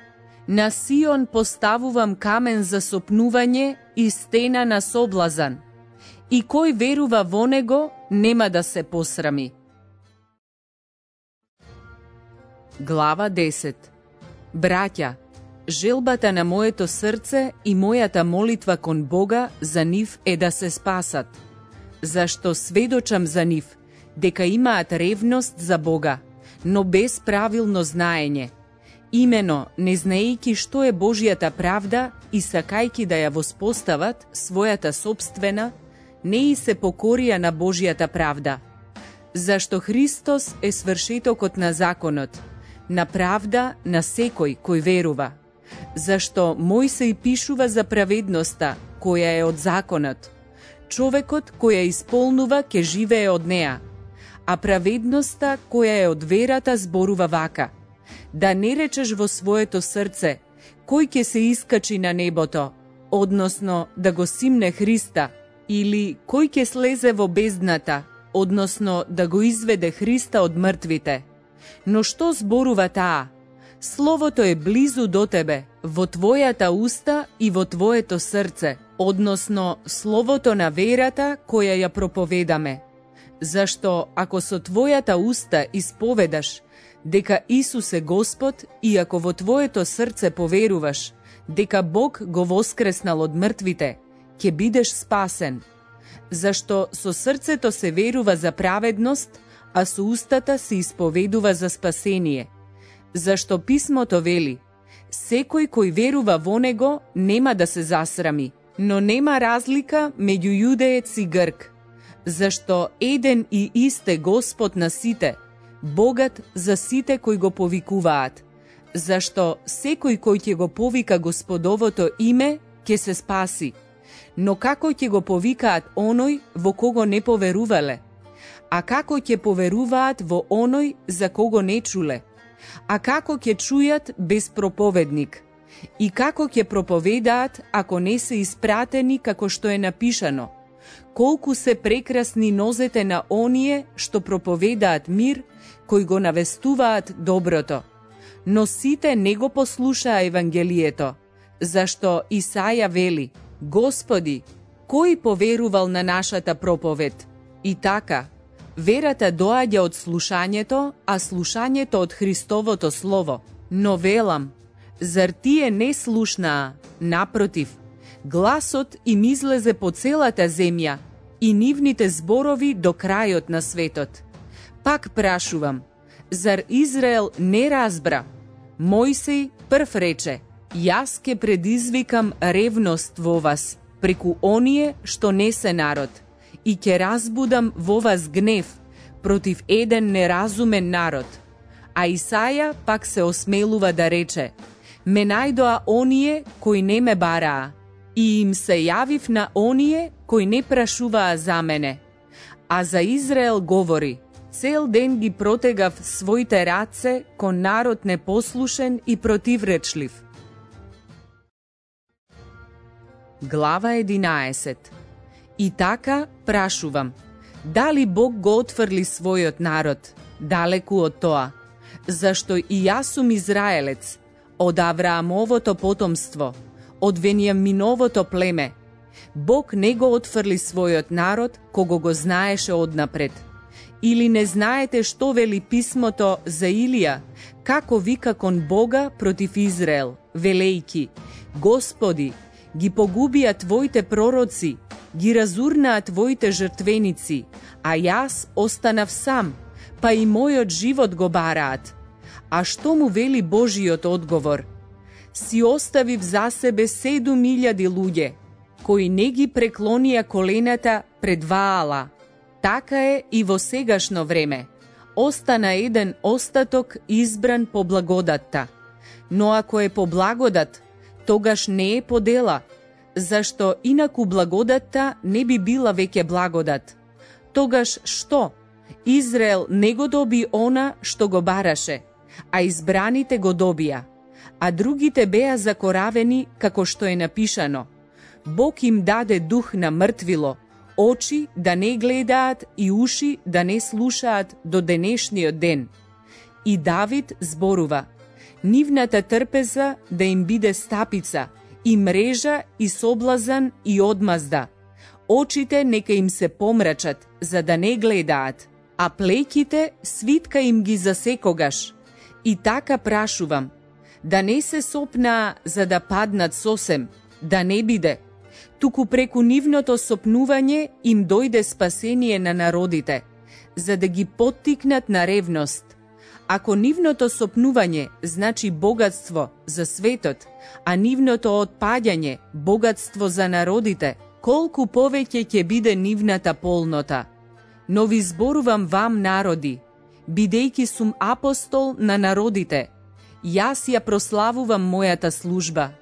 на Сион поставувам камен за сопнување и стена на соблазан, и кој верува во него нема да се посрами. Глава десет. Браќа, желбата на моето срце и мојата молитва кон Бога за нив е да се спасат, зашто сведочам за нив дека имаат ревност за Бога, но без правилно знаење. Имено, не знаејќи што е Божјата правда и сакајќи да ја воспостават својата собствена, не и се покорија на Божјата правда. Зашто Христос е свршетокот на законот, на правда на секој кој верува. Зашто Мојсей пишува за праведноста, која е од законот. Човекот кој ја исполнува ќе живее од неа, а праведноста која е од верата зборува вака: да не речеш во своето срце: кој ќе се искачи на небото, односно да го симне Христа, или кој ќе слезе во бездната, односно да го изведе Христа од мртвите. Но што зборува таа? Словото е близу до тебе, во твојата уста и во твоето срце, односно словото на верата која ја проповедаме. Зашто ако со твојата уста исповедаш дека Исус е Господ и ако во твоето срце поверуваш дека Бог го воскреснал од мртвите, ќе бидеш спасен. Зашто со срцето се верува за праведност, а со устата се исповедува за спасение. Зашто писмото вели: секој кој верува во него нема да се засрами, но нема разлика меѓу јудеец и грк. Зашто еден и ист е Господ на сите, богат за сите кои го повикуваат. Зашто секој кој ќе го повика Господовото име, ќе се спаси. Но како ќе го повикаат оној во кого не поверувале? А како ќе поверуваат во оној за кого не чуле? А како ќе чујат без проповедник? И како ќе проповедаат ако не се испратени, како што е напишано: колку се прекрасни нозете на оние што проповедаат мир, кои го навестуваат доброто. Но сите не го послушаа Евангелието, зашто Исаја вели: Господи, кој поверувал на нашата проповед? И така, Верата доаѓа од слушањето, а слушањето од Христовото Слово. Но велам, зар тие не слушнаа? Напротив, гласот им излезе по целата земја и нивните зборови до крајот на светот. Пак прашувам, зар Израел не разбра? Мојсей прв рече, јас ке предизвикам ревност во вас, преку оние што не се народ, и ќе разбудам во вас гнев против еден неразумен народ. А Исаја пак се осмелува да рече, ме најдоа оние кои не ме бараа, и им се јавив на оние кои не прашуваа за мене. А за Израел говори, цел ден ги протегав своите раце кон народ непослушен и противречлив. Глава единаесет. И така прашувам, дали Бог го отфрли својот народ, далеку од тоа? Зашто и јас сум израелец, од Авраамовото потомство, од Венијаминовото племе. Бог не го отфрли својот народ, кого го знаеше однапред. Или не знаете што вели писмото за Илија, како вика кон Бога против Израел, велејки, Господи, ги погубија твоите пророци, ги разурнаа твоите жртвеници, а јас останав сам, па и мојот живот го бараат. А што му вели Божиот одговор? Си оставив за себе седум илјади луѓе, кои не ги преклонија колената пред Ваала. Така е и во сегашно време. Остана еден остаток избран по благодатта. Но ако е по благодат, тогаш не е по дела, зашто инаку благодатта не би била веќе благодат. Тогаш што? Израел не го доби она што го бараше, а избраните го добија, а другите беа закоравени како што е напишано. Бог им даде дух на мртвило, очи да не гледаат и уши да не слушаат до денешниот ден. И Давид зборува, нивната трпеза да им биде стапица, и мрежа, и соблазан, и одмазда. Очите нека им се помрачат, за да не гледаат, а плеќите свитка им ги за секогаш. И така прашувам, да не се сопнаа за да паднат сосем, да не биде, туку преку нивното сопнување им дојде спасение на народите, за да ги поттикнат на ревност. Ако нивното сопнување значи богатство за светот, а нивното отпаѓање богатство за народите, колку повеќе ќе биде нивната полнота. Но ви зборувам вам, народи, бидејќи сум апостол на народите, јас ја прославувам мојата служба,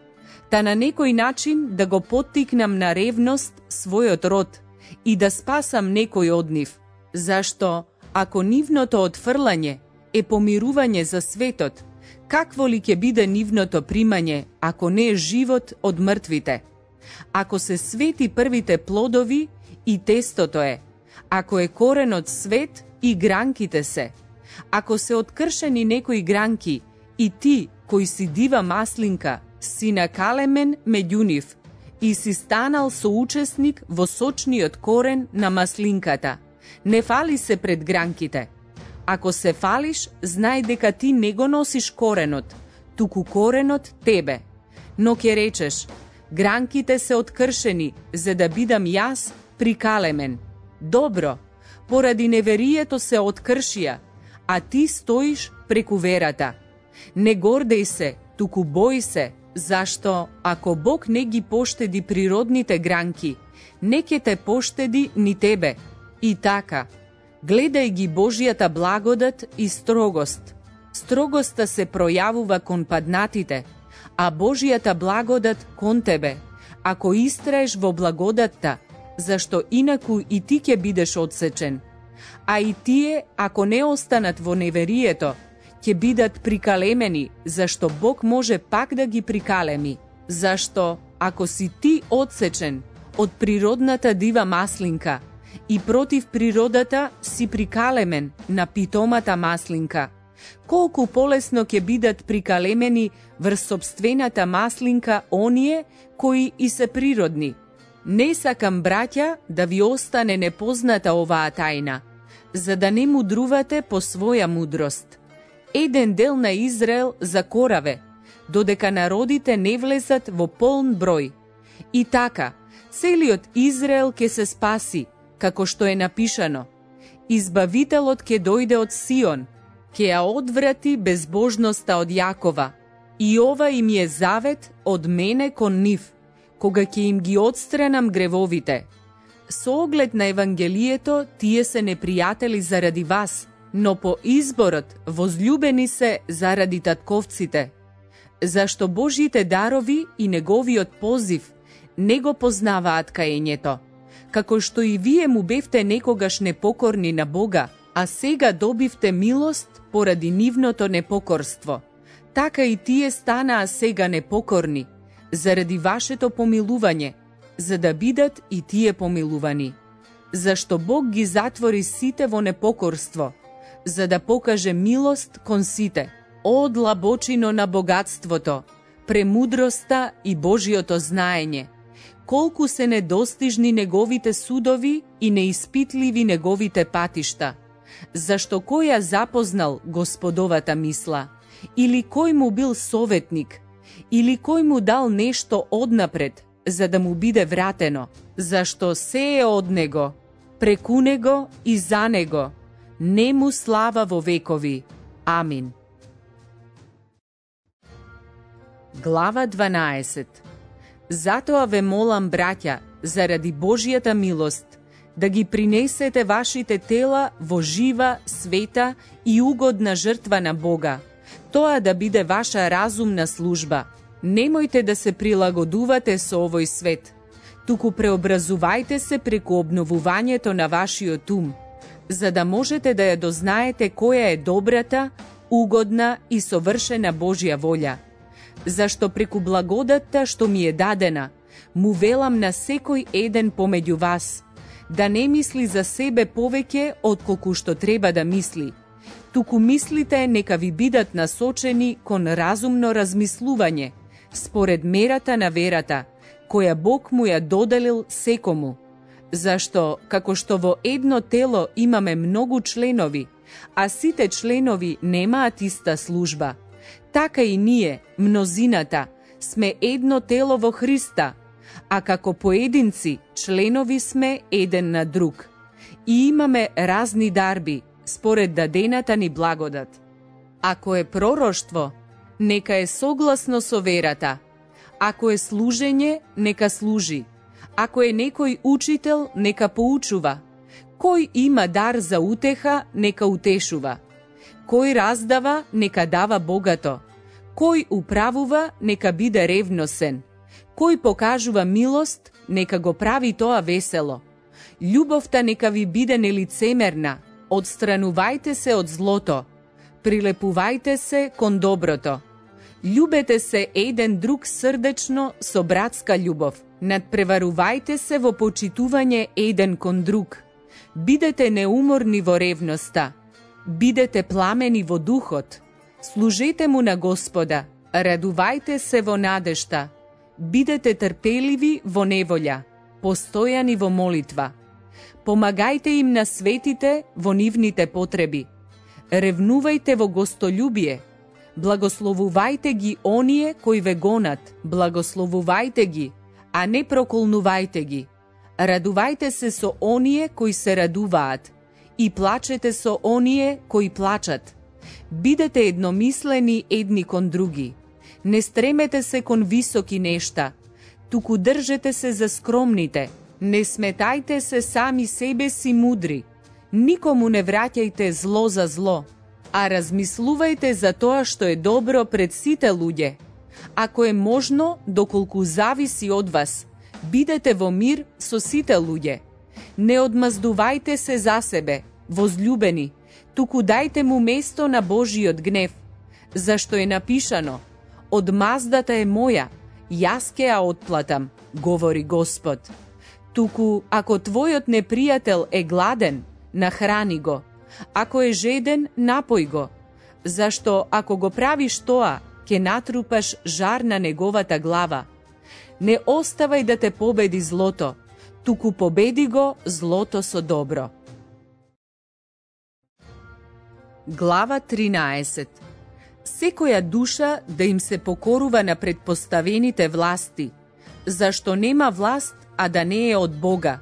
та на некој начин да го поттикнам на ревност својот род и да спасам некој од нив. Зашто, ако нивното отфрлање е помирување за светот, какво ли ќе биде нивното примање, ако не е живот од мртвите? Ако се свети првите плодови, и тестото е. Ако е коренот свет, и гранките се. Ако се откршени некои гранки, и ти, кој си дива маслинка, си накалемен меѓу нив, и си станал соучесник во сочниот корен на маслинката. Не фали се пред гранките. Ако се фалиш, знај дека ти не го носиш коренот, туку коренот тебе. Но ќе речеш, гранките се откршени, за да бидам јас прикалемен. Добро, поради неверието се откршија, а ти стоиш преку верата. Не гордеј се, туку бој се, зашто ако Бог не ги поштеди природните гранки, не ќе те поштеди ни тебе. И така, гледај ги Божјата благодат и строгост. Строгоста се пројавува кон паднатите, а Божјата благодат кон тебе, ако истраеш во благодатта, зашто инаку и ти ќе бидеш одсечен. А и тие, ако не останат во неверието, ќе бидат прикалемени, зашто Бог може пак да ги прикалеми. Зашто, ако си ти одсечен од природната дива маслинка и против природата си прикалемен на питомата маслинка, колку полесно ќе бидат прикалемени врз собствената маслинка оние кои и се природни. Не сакам, браќа, да ви остане непозната оваа тајна. за да не мудрувате по своја мудрост. Еден дел на Израел закораве, додека народите не влезат во полн број. И така, целиот Израел ќе се спаси, како што е напишано. Избавителот ќе дојде од Сион, ќе ја одврати безбожноста од Јакова. И ова им е завет од мене кон нив, кога ќе им ги отстранам гревовите. Со оглед на Евангелието, тие се непријатели заради вас, но по изборот возлюбени се заради татковците. Зашто Божите дарови и неговиот позив не го познаваат каењето, како што и вие му бевте некогаш непокорни на Бога, а сега добивте милост поради нивното непокорство. Така и тие станаа сега непокорни, заради вашето помилување, за да бидат и тие помилувани. Зашто Бог ги затвори сите во непокорство, за да покаже милост кон сите. О длабочино на богатството, премудроста и Божиото знаење! Колку се недостижни неговите судови и неиспитливи неговите патишта! Зашто кој ја запознал Господовата мисла? Или кој му бил советник? Или кој му дал нешто однапред, за да му биде вратено? Зашто се е од него, преку него и за него. Не му слава во векови. Амин. Глава дванаесет. Затоа ве молам, браќа, заради Божјата милост, да ги принесете вашите тела во жива, света и угодна жртва на Бога. Тоа да биде ваша разумна служба. Немојте да се прилагодувате со овој свет, туку преобразувајте се преку обновувањето на вашиот ум, за да можете да ја дознаете која е добрата, угодна и совршена Божја волја. Зашто преку благодатта што ми е дадена, му велам на секој еден помеѓу вас, да не мисли за себе повеќе отколку што треба да мисли, туку мислите нека ви бидат насочени кон разумно размислување, според мерата на верата, која Бог му ја доделил секому. Зашто, како што во едно тело имаме многу членови, а сите членови немаат иста служба, така и ние, мнозината, сме едно тело во Христа, а како поединци членови сме еден на друг. И имаме разни дарби, според дадената ни благодат. Ако е пророштво, нека е согласно со верата. Ако е служење, нека служи. Ако е некој учител, нека поучува. Кој има дар за утеха, нека утешува. Кој раздава, нека дава богато. Кој управува, нека биде ревносен. Кој покажува милост, нека го прави тоа весело. Љубовта нека ви биде нелицемерна. Отстранувајте се од злото. Прилепувајте се кон доброто. Љубете се еден друг срдечно со братска љубов. Надпреварувајте се во почитување еден кон друг. Бидете неуморни во ревноста. Бидете пламени во духот. Служете му на Господа. Радувајте се во надежта. Бидете трпеливи во неволја. Постојани во молитва. Помагајте им на светите во нивните потреби. Ревнувајте во гостолюбие. Благословувајте ги оние кои ве гонат. Благословувајте ги, а не проколнувајте ги. Радувајте се со оние кои се радуваат и плачете со оние кои плачат. Бидете едномислени едни кон други. Не стремете се кон високи нешта, туку држете се за скромните. Не сметајте се сами себе си мудри. Никому не враќајте зло за зло, а размислувајте за тоа што е добро пред сите луѓе. Ако е можно, доколку зависи од вас, бидете во мир со сите луѓе. Не одмаздувајте се за себе, возлюбени, туку дајте му место на Божиот гнев, зашто е напишано: одмаздата е моја, јас ќе ја отплатам, говори Господ. Туку, ако твојот непријател е гладен, нахрани го. Ако е жеден, напој го. Зашто, ако го правиш тоа, ќе натрупаш жар на неговата глава. Не оставај да те победи злото, туку победи го злото со добро. Глава тринаесет. Секоја душа да им се покорува на предпоставените власти, зашто нема власт, а да не е од Бога.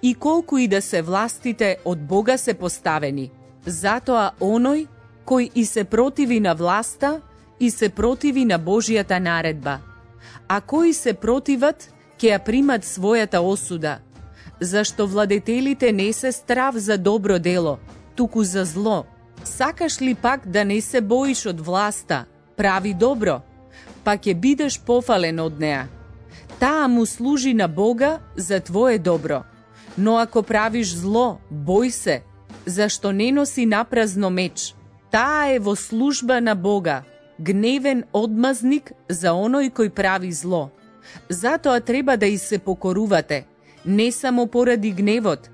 И колку и да се властите, од Бога се поставени. Затоа оној кој и се противи на власта, и се противи на Божијата наредба. А кои се противат, ќе ја примат својата осуда, зашто владетелите не се страв за добро дело, туку за зло. Сакаш ли пак да не се боиш од власта, прави добро, па ќе бидеш пофален од неа. Таа му служи на Бога за твое добро. Но ако правиш зло, бој се, зашто не носи напразно меч. Таа е во служба на Бога, гневен одмазник за оној кој прави зло. Затоа треба да и се покорувате, не само поради гневот,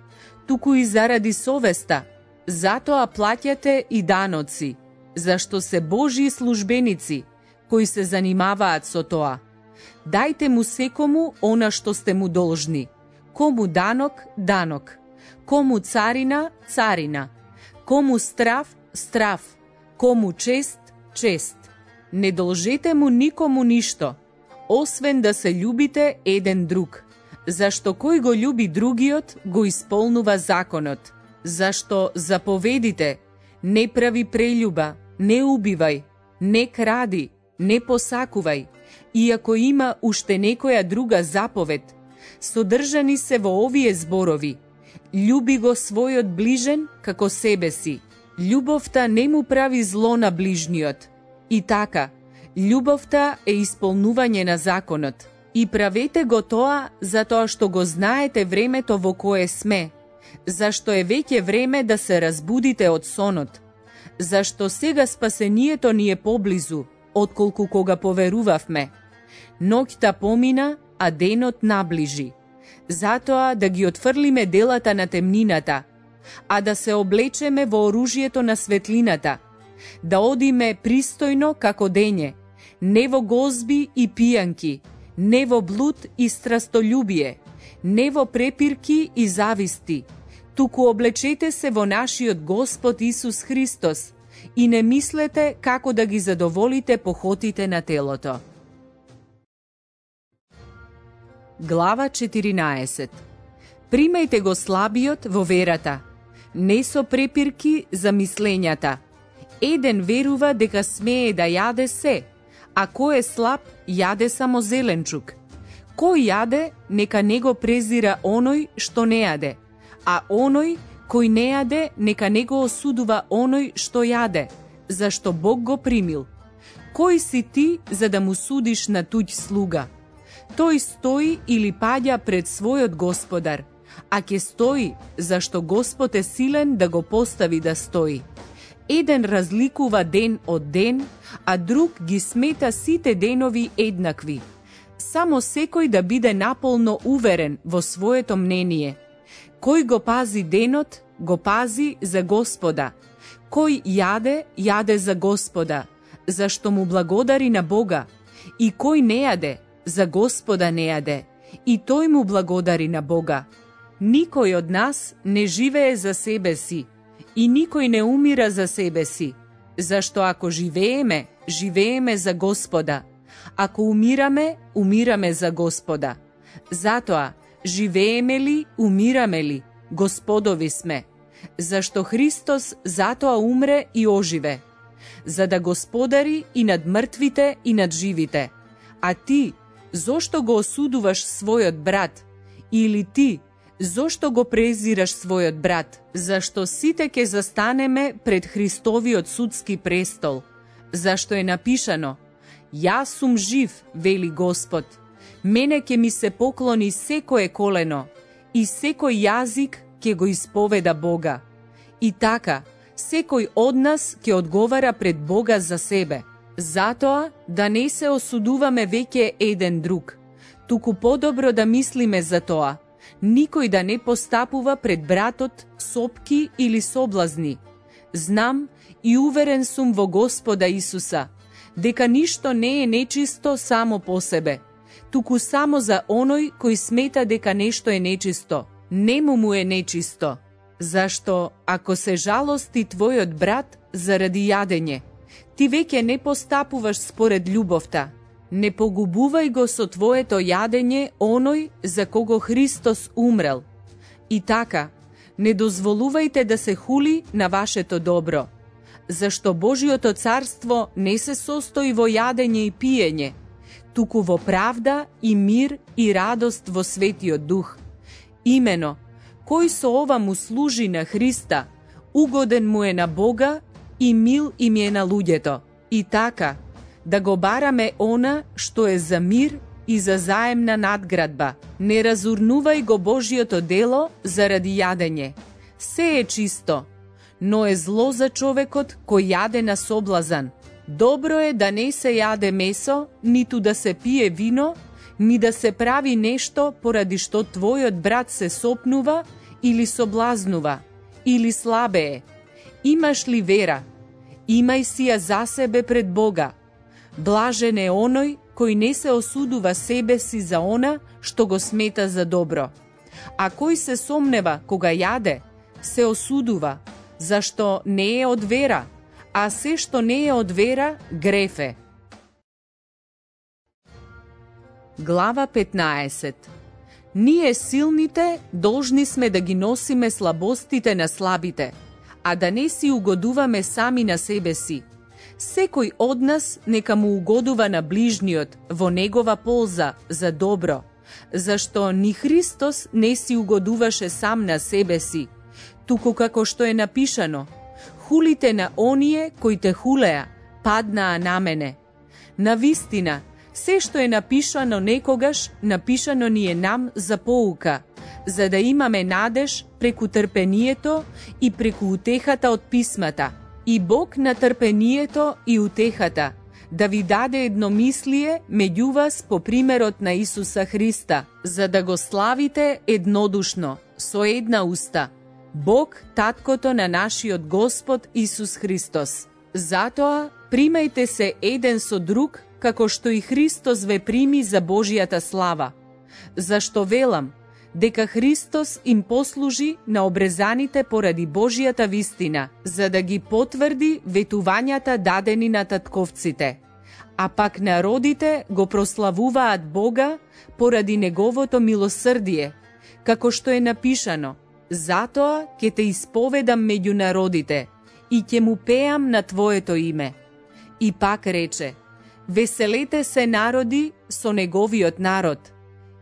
туку и заради совеста. Затоа плаќате и даноци, зашто се Божји службеници, кои се занимаваат со тоа. Дајте му секому она што сте му должни. Кому данок, данок. Кому царина, царина. Кому страв, страв. Кому чест, чест. Не должете му никому ништо, освен да се љубите еден друг, зашто кој го љуби другиот, го исполнува законот. Зашто заповедите: не прави прељуба, не убивај, не кради, не посакувај, иако има уште некоја друга заповед, содржани се во овие зборови: љуби го својот ближен како себе си. Љубовта не му прави зло на ближниот. И така, љубовта е исполнување на законот. И правете го тоа затоа што го знаете времето во кое сме, зашто е веќе време да се разбудите од сонот, зашто сега спасението ни е поблизу, отколку кога поверувавме. Ноќта помина, а денот наближи. Затоа да ги отфрлиме делата на темнината, а да се облечеме во оружјето на светлината, да одиме пристојно како дење, не во гозби и пијанки, не во блуд и страстољубие, не во препирки и зависти, туку облечете се во нашиот Господ Исус Христос и не мислете како да ги задоволите похотите на телото. Глава четиринаесет. Примајте го слабиот во верата, не со препирки за мислењата. Еден верува дека смее да јаде се, а кој е слаб, јаде само зеленчук. Кој јаде, нека не го презира оној што не јаде, а оној кој не јаде, нека не го осудува оној што јаде, зашто Бог го примил. Кој си ти за да му судиш на туѓ слуга? Тој стои или паѓа пред својот Господар, а ќе стои, зашто Господ е силен да го постави да стои. Еден разликува ден од ден, а друг ги смета сите денови еднакви. Само секој да биде наполно уверен во своето мнение. Кој го пази денот, го пази за Господа. Кој јаде, јаде за Господа, зашто му благодари на Бога. И кој не јаде, за Господа не јаде, и тој му благодари на Бога. Никој од нас не живее за себе си, и никој не умира за себе си, зашто ако живееме, живееме за Господа, ако умираме, умираме за Господа. Затоа, живееме ли, умираме ли, Господови сме, зашто Христос затоа умре и оживе, за да господари и над мртвите и над живите. А ти, зошто го осудуваш својот брат? Или ти, зошто го презираш својот брат? Зашто сите ќе застанеме пред Христовиот судски престол. Зашто е напишано: Јас сум жив, вели Господ. Мене ќе ми се поклони секое колено и секој јазик ќе го исповеда Бога. И така, секој од нас ќе одговара пред Бога за себе. Затоа, да не се осудуваме веќе еден друг, туку подобро да мислиме за тоа, никој да не постапува пред братот сопки или соблазни. Знам и уверен сум во Господа Исуса, дека ништо не е нечисто само по себе, туку само за оној кој смета дека нешто е нечисто. Нему му е нечисто. Зашто, ако се жалости твојот брат заради јадење. Ти веќе не постапуваш според љубовта. Не погубувај го со твоето јадење оној за кого Христос умрел. И така, не дозволувајте да се хули на вашето добро, зашто Божиото царство не се состои во јадење и пиење, туку во правда и мир и радост во Светиот Дух. Имено, кој со ова му служи на Христа, угоден му е на Бога и мил им е на луѓето. И така, да го бараме она што е за мир и за заемна надградба. Не разурнувај го Божиото дело заради јадење. Се е чисто, но е зло за човекот кој јаде на соблазан. Добро е да не се јаде месо, ниту да се пие вино, ни да се прави нешто поради што твојот брат се сопнува или соблазнува, или слабее. Имаш ли вера? Имај си ја за себе пред Бога. Блажен е оној кој не се осудува себе си за она што го смета за добро. А кој се сомнева кога јаде, се осудува, зашто не е од вера, а се што не е од вера, греф е. Глава петнаесет. Ние силните должни сме да ги носиме слабостите на слабите, а да не си угодуваме сами на себе си. Секој од нас нека му угодува на ближниот во негова полза за добро, зашто ни Христос не си угодуваше сам на себе си, туку како што е напишано: хулите на оние кои те хулеа, паднаа на мене. Навистина, се што е напишано некогаш, напишано ни е нам за поука, за да имаме надеж преку трпението и преку утехата од писмата. И Бог на трпението и утехата да ви даде едномислие меѓу вас по примерот на Исуса Христа, за да го славите еднодушно, со една уста, Бог, Таткото на нашиот Господ Исус Христос. Затоа, примајте се еден со друг, како што и Христос ве прими за Божијата слава. Зашто велам, дека Христос им послужи на обрезаните поради Божијата вистина, за да ги потврди ветувањата дадени на татковците. А пак народите го прославуваат Бога поради Неговото милосрдие, како што е напишано: затоа ќе те исповедам меѓу народите и ќе му пеам на Твоето име. И пак рече: веселете се народи со Неговиот народ.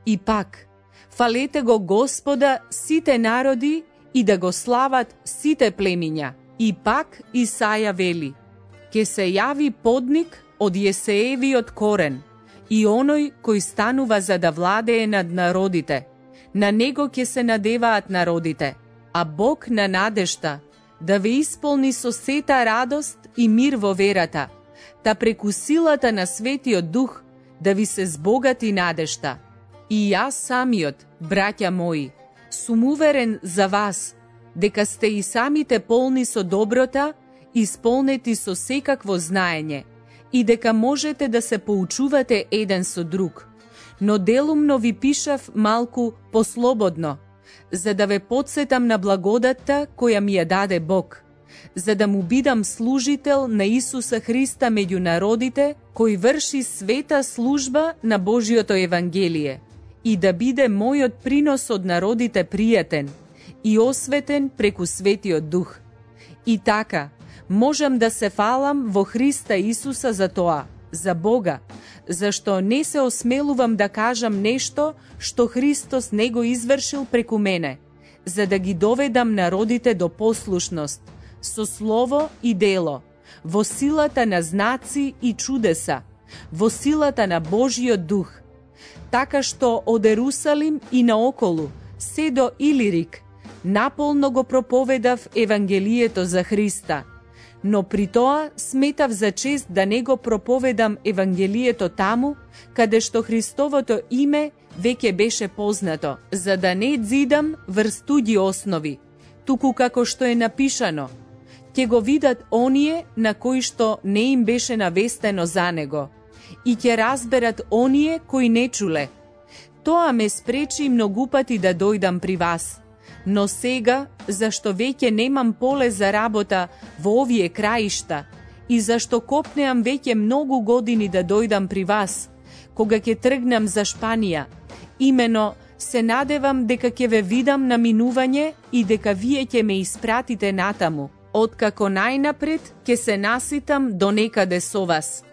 И пак, фалете го Господа сите народи и да го слават сите племиња. И пак Исаја вели: ке се јави подник од Јесеевиот корен и оној кој станува за да владее над народите. На него ќе се надеваат народите, а Бог на надежта да ве исполни со сета радост и мир во верата, та преку силата на Светиот Дух да ви се збогати надежта. И јас самиот, браќа мои, сум уверен за вас, дека сте и самите полни со доброта, исполнети со секакво знаење, и дека можете да се поучувате еден со друг. Но делумно ви пишав малку послободно, за да ве потсетам на благодатта која ми ја даде Бог, за да му бидам служител на Исуса Христа меѓу народите, кој врши света служба на Божиото Евангелие, и да биде мојот принос од народите пријатен и осветен преку Светиот Дух. И така, можам да се фалам во Христа Исуса за тоа, за Бога, зашто не се осмелувам да кажам нешто што Христос не го извршил преку мене, за да ги доведам народите до послушност, со слово и дело, во силата на знаци и чудеса, во силата на Божиот Дух, така што од Ерусалим и наоколу, се до Илирик, наполно го проповедав Евангелието за Христа, но при тоа сметав за чест да не го проповедам Евангелието таму, каде што Христовото име веќе беше познато, за да не дзидам врз туѓи основи, туку како што е напишано: ќе го видат оние на кои што не им беше навестено за него, и ќе разберат оние кои не чуле. Тоа ме спречи многу пати да дојдам при вас, Но сега, зашто веќе немам поле за работа во овие краишта и зашто копнеам веќе многу години да дојдам при вас, кога ќе тргнам за Шпанија, имено се надевам дека ќе ве видам на минување и дека вие ќе ме испратите натаму, откако најнапред ќе се наситам до некаде со вас.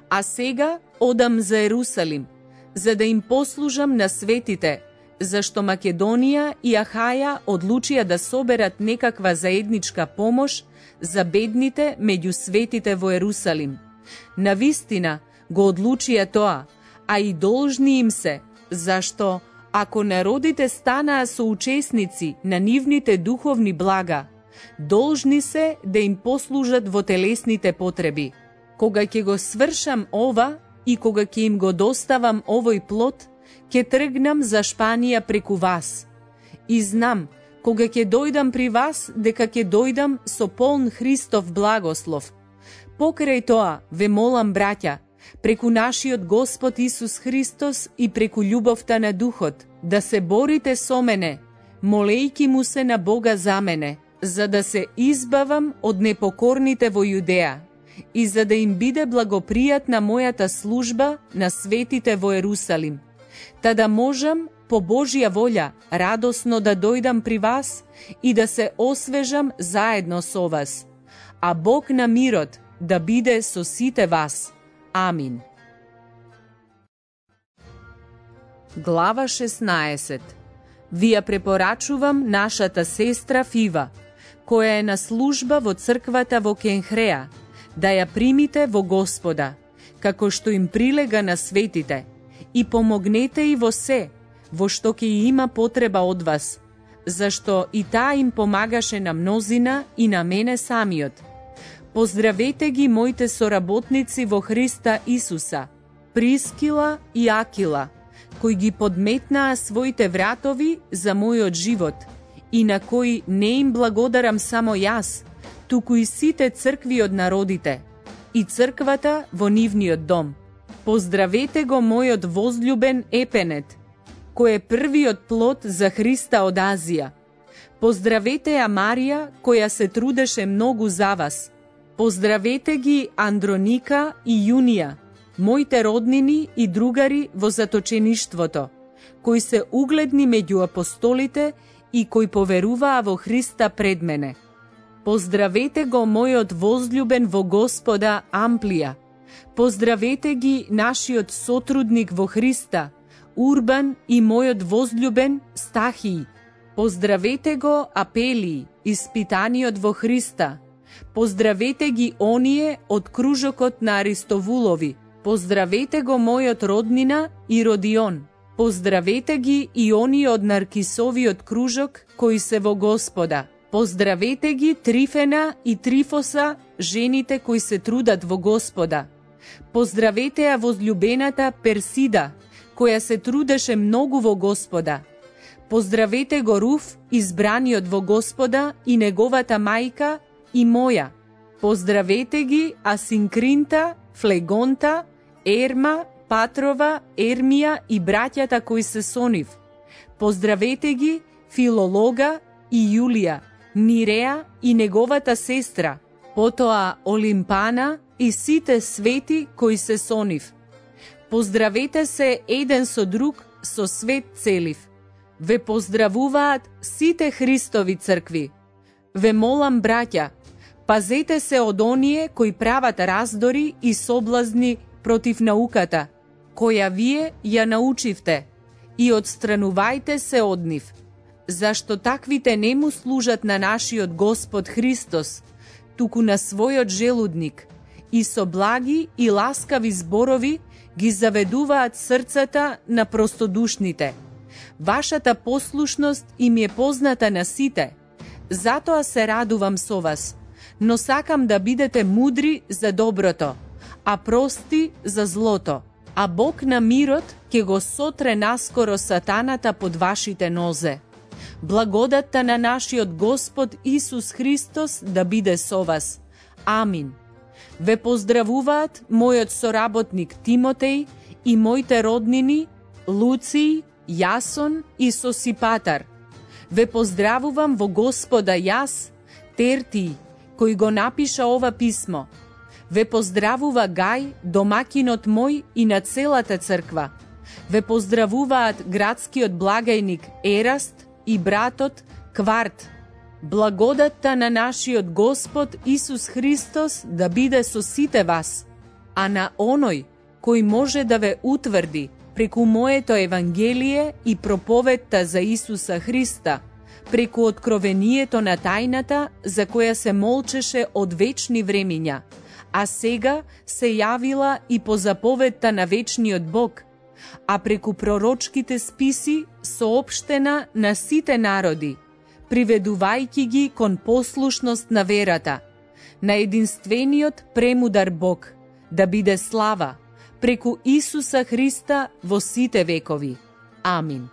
А сега одам за Ерусалим, за да им послужам на светите, зашто Македонија и Ахаја одлучија да соберат некаква заедничка помош за бедните меѓу светите во Ерусалим. Навистина го одлучија тоа, а и должни им се, зашто ако народите станаа соучесници на нивните духовни блага, должни се да им послужат во телесните потреби. Кога ќе го свршам ова и кога ќе им го доставам овој плод, ќе тргнам за Шпанија преку вас. И знам, кога ќе дојдам при вас, дека ќе дојдам со полн Христов благослов. Покрај тоа, ве молам, браќа, преку нашиот Господ Исус Христос и преку љубовта на Духот, да се борите со мене, молејки му се на Бога за мене, за да се избавам од непокорните во Јудеја и за да им биде благопријатна мојата служба на светите во Ерусалим, та да можам по Божја волја радосно да дојдам при вас и да се освежам заедно со вас. А Бог на мирот да биде со сите вас. Амин. Глава шеснаесет. Ви ја препорачувам нашата сестра Фива, која е на служба во црквата во Кенхреа, да ја примите во Господа, како што им прилега на светите, и помогнете и во се, во што ќе има потреба од вас, зашто и таа им помагаше на мнозина и на мене самиот. Поздравете ги моите соработници во Христа Исуса, Прискила и Акила, кои ги подметнаа своите вратови за мојот живот, и на кои не им благодарам само јас, туку и сите цркви од народите, и црквата во нивниот дом. Поздравете го мојот возлюбен Епенет, кој е првиот плод за Христа од Азија. Поздравете ја Марија, која се трудеше многу за вас. Поздравете ги Андроника и Јунија, моите роднини и другари во заточеништвото, кои се угледни меѓу апостолите и кои поверуваа во Христа пред мене. Поздравете го мојот возлюбен во Господа Амплија. Поздравете ги нашиот сотрудник во Христа, Урбан, и мојот возлюбен Стахии. Поздравете го Апелии, испитаниот во Христа. Поздравете ги оние од кружокот на Аристовулови. Поздравете го мојот роднина и Родион. Поздравете ги и оние од Наркисовиот кружок кои се во Господа. Поздравете ги Трифена и Трифоса, жените кои се трудат во Господа. Поздравете ја возлюбената Персида, која се трудеше многу во Господа. Поздравете го Руф, избраниот во Господа, и неговата мајка и моја. Поздравете ги Асинкринта, Флегонта, Ерма, Патрова, Ермија и браќата кои се со нив. Поздравете ги Филолога и Јулија, Ниреа и неговата сестра, потоа Олимпана и сите свети кои се со нив. Поздравете се еден со друг со свет целив. Ве поздравуваат сите Христови цркви. Ве молам, браќа, пазете се од оние кои прават раздори и соблазни против науката, која вие ја научивте, и одстранувајте се од нив, зашто таквите не му служат на нашиот Господ Христос, туку на својот желудник, и со благи и ласкави зборови ги заведуваат срцата на простодушните. Вашата послушност им е позната на сите, затоа се радувам со вас, но сакам да бидете мудри за доброто, а прости за злото, а Бог на мирот ќе го сотре наскоро сатаната под вашите нозе. Благодатта на нашиот Господ Исус Христос да биде со вас. Амин. Ве поздравуваат мојот соработник Тимотеј и моите роднини Луций, Јасон и Сосипатар. Ве поздравувам во Господа јас, Терти, кој го напиша ова писмо. Ве поздравува Гај, домакинот мој и на целата црква. Ве поздравуваат градскиот благајник Ераст и братот Кварт. Благодатта на нашиот Господ Исус Христос да биде со сите вас, а на оној кој може да ве утврди преку моето Евангелие и проповедта за Исуса Христа, преку откровението на тајната за која се молчеше од вечни времиња, а сега се јавила и по заповедта на вечниот Бог, а преку пророчките списи соопштена на сите народи, приведувајќи ги кон послушност на верата, на единствениот премудар Бог, да биде слава преку Исуса Христа во сите векови. Амин.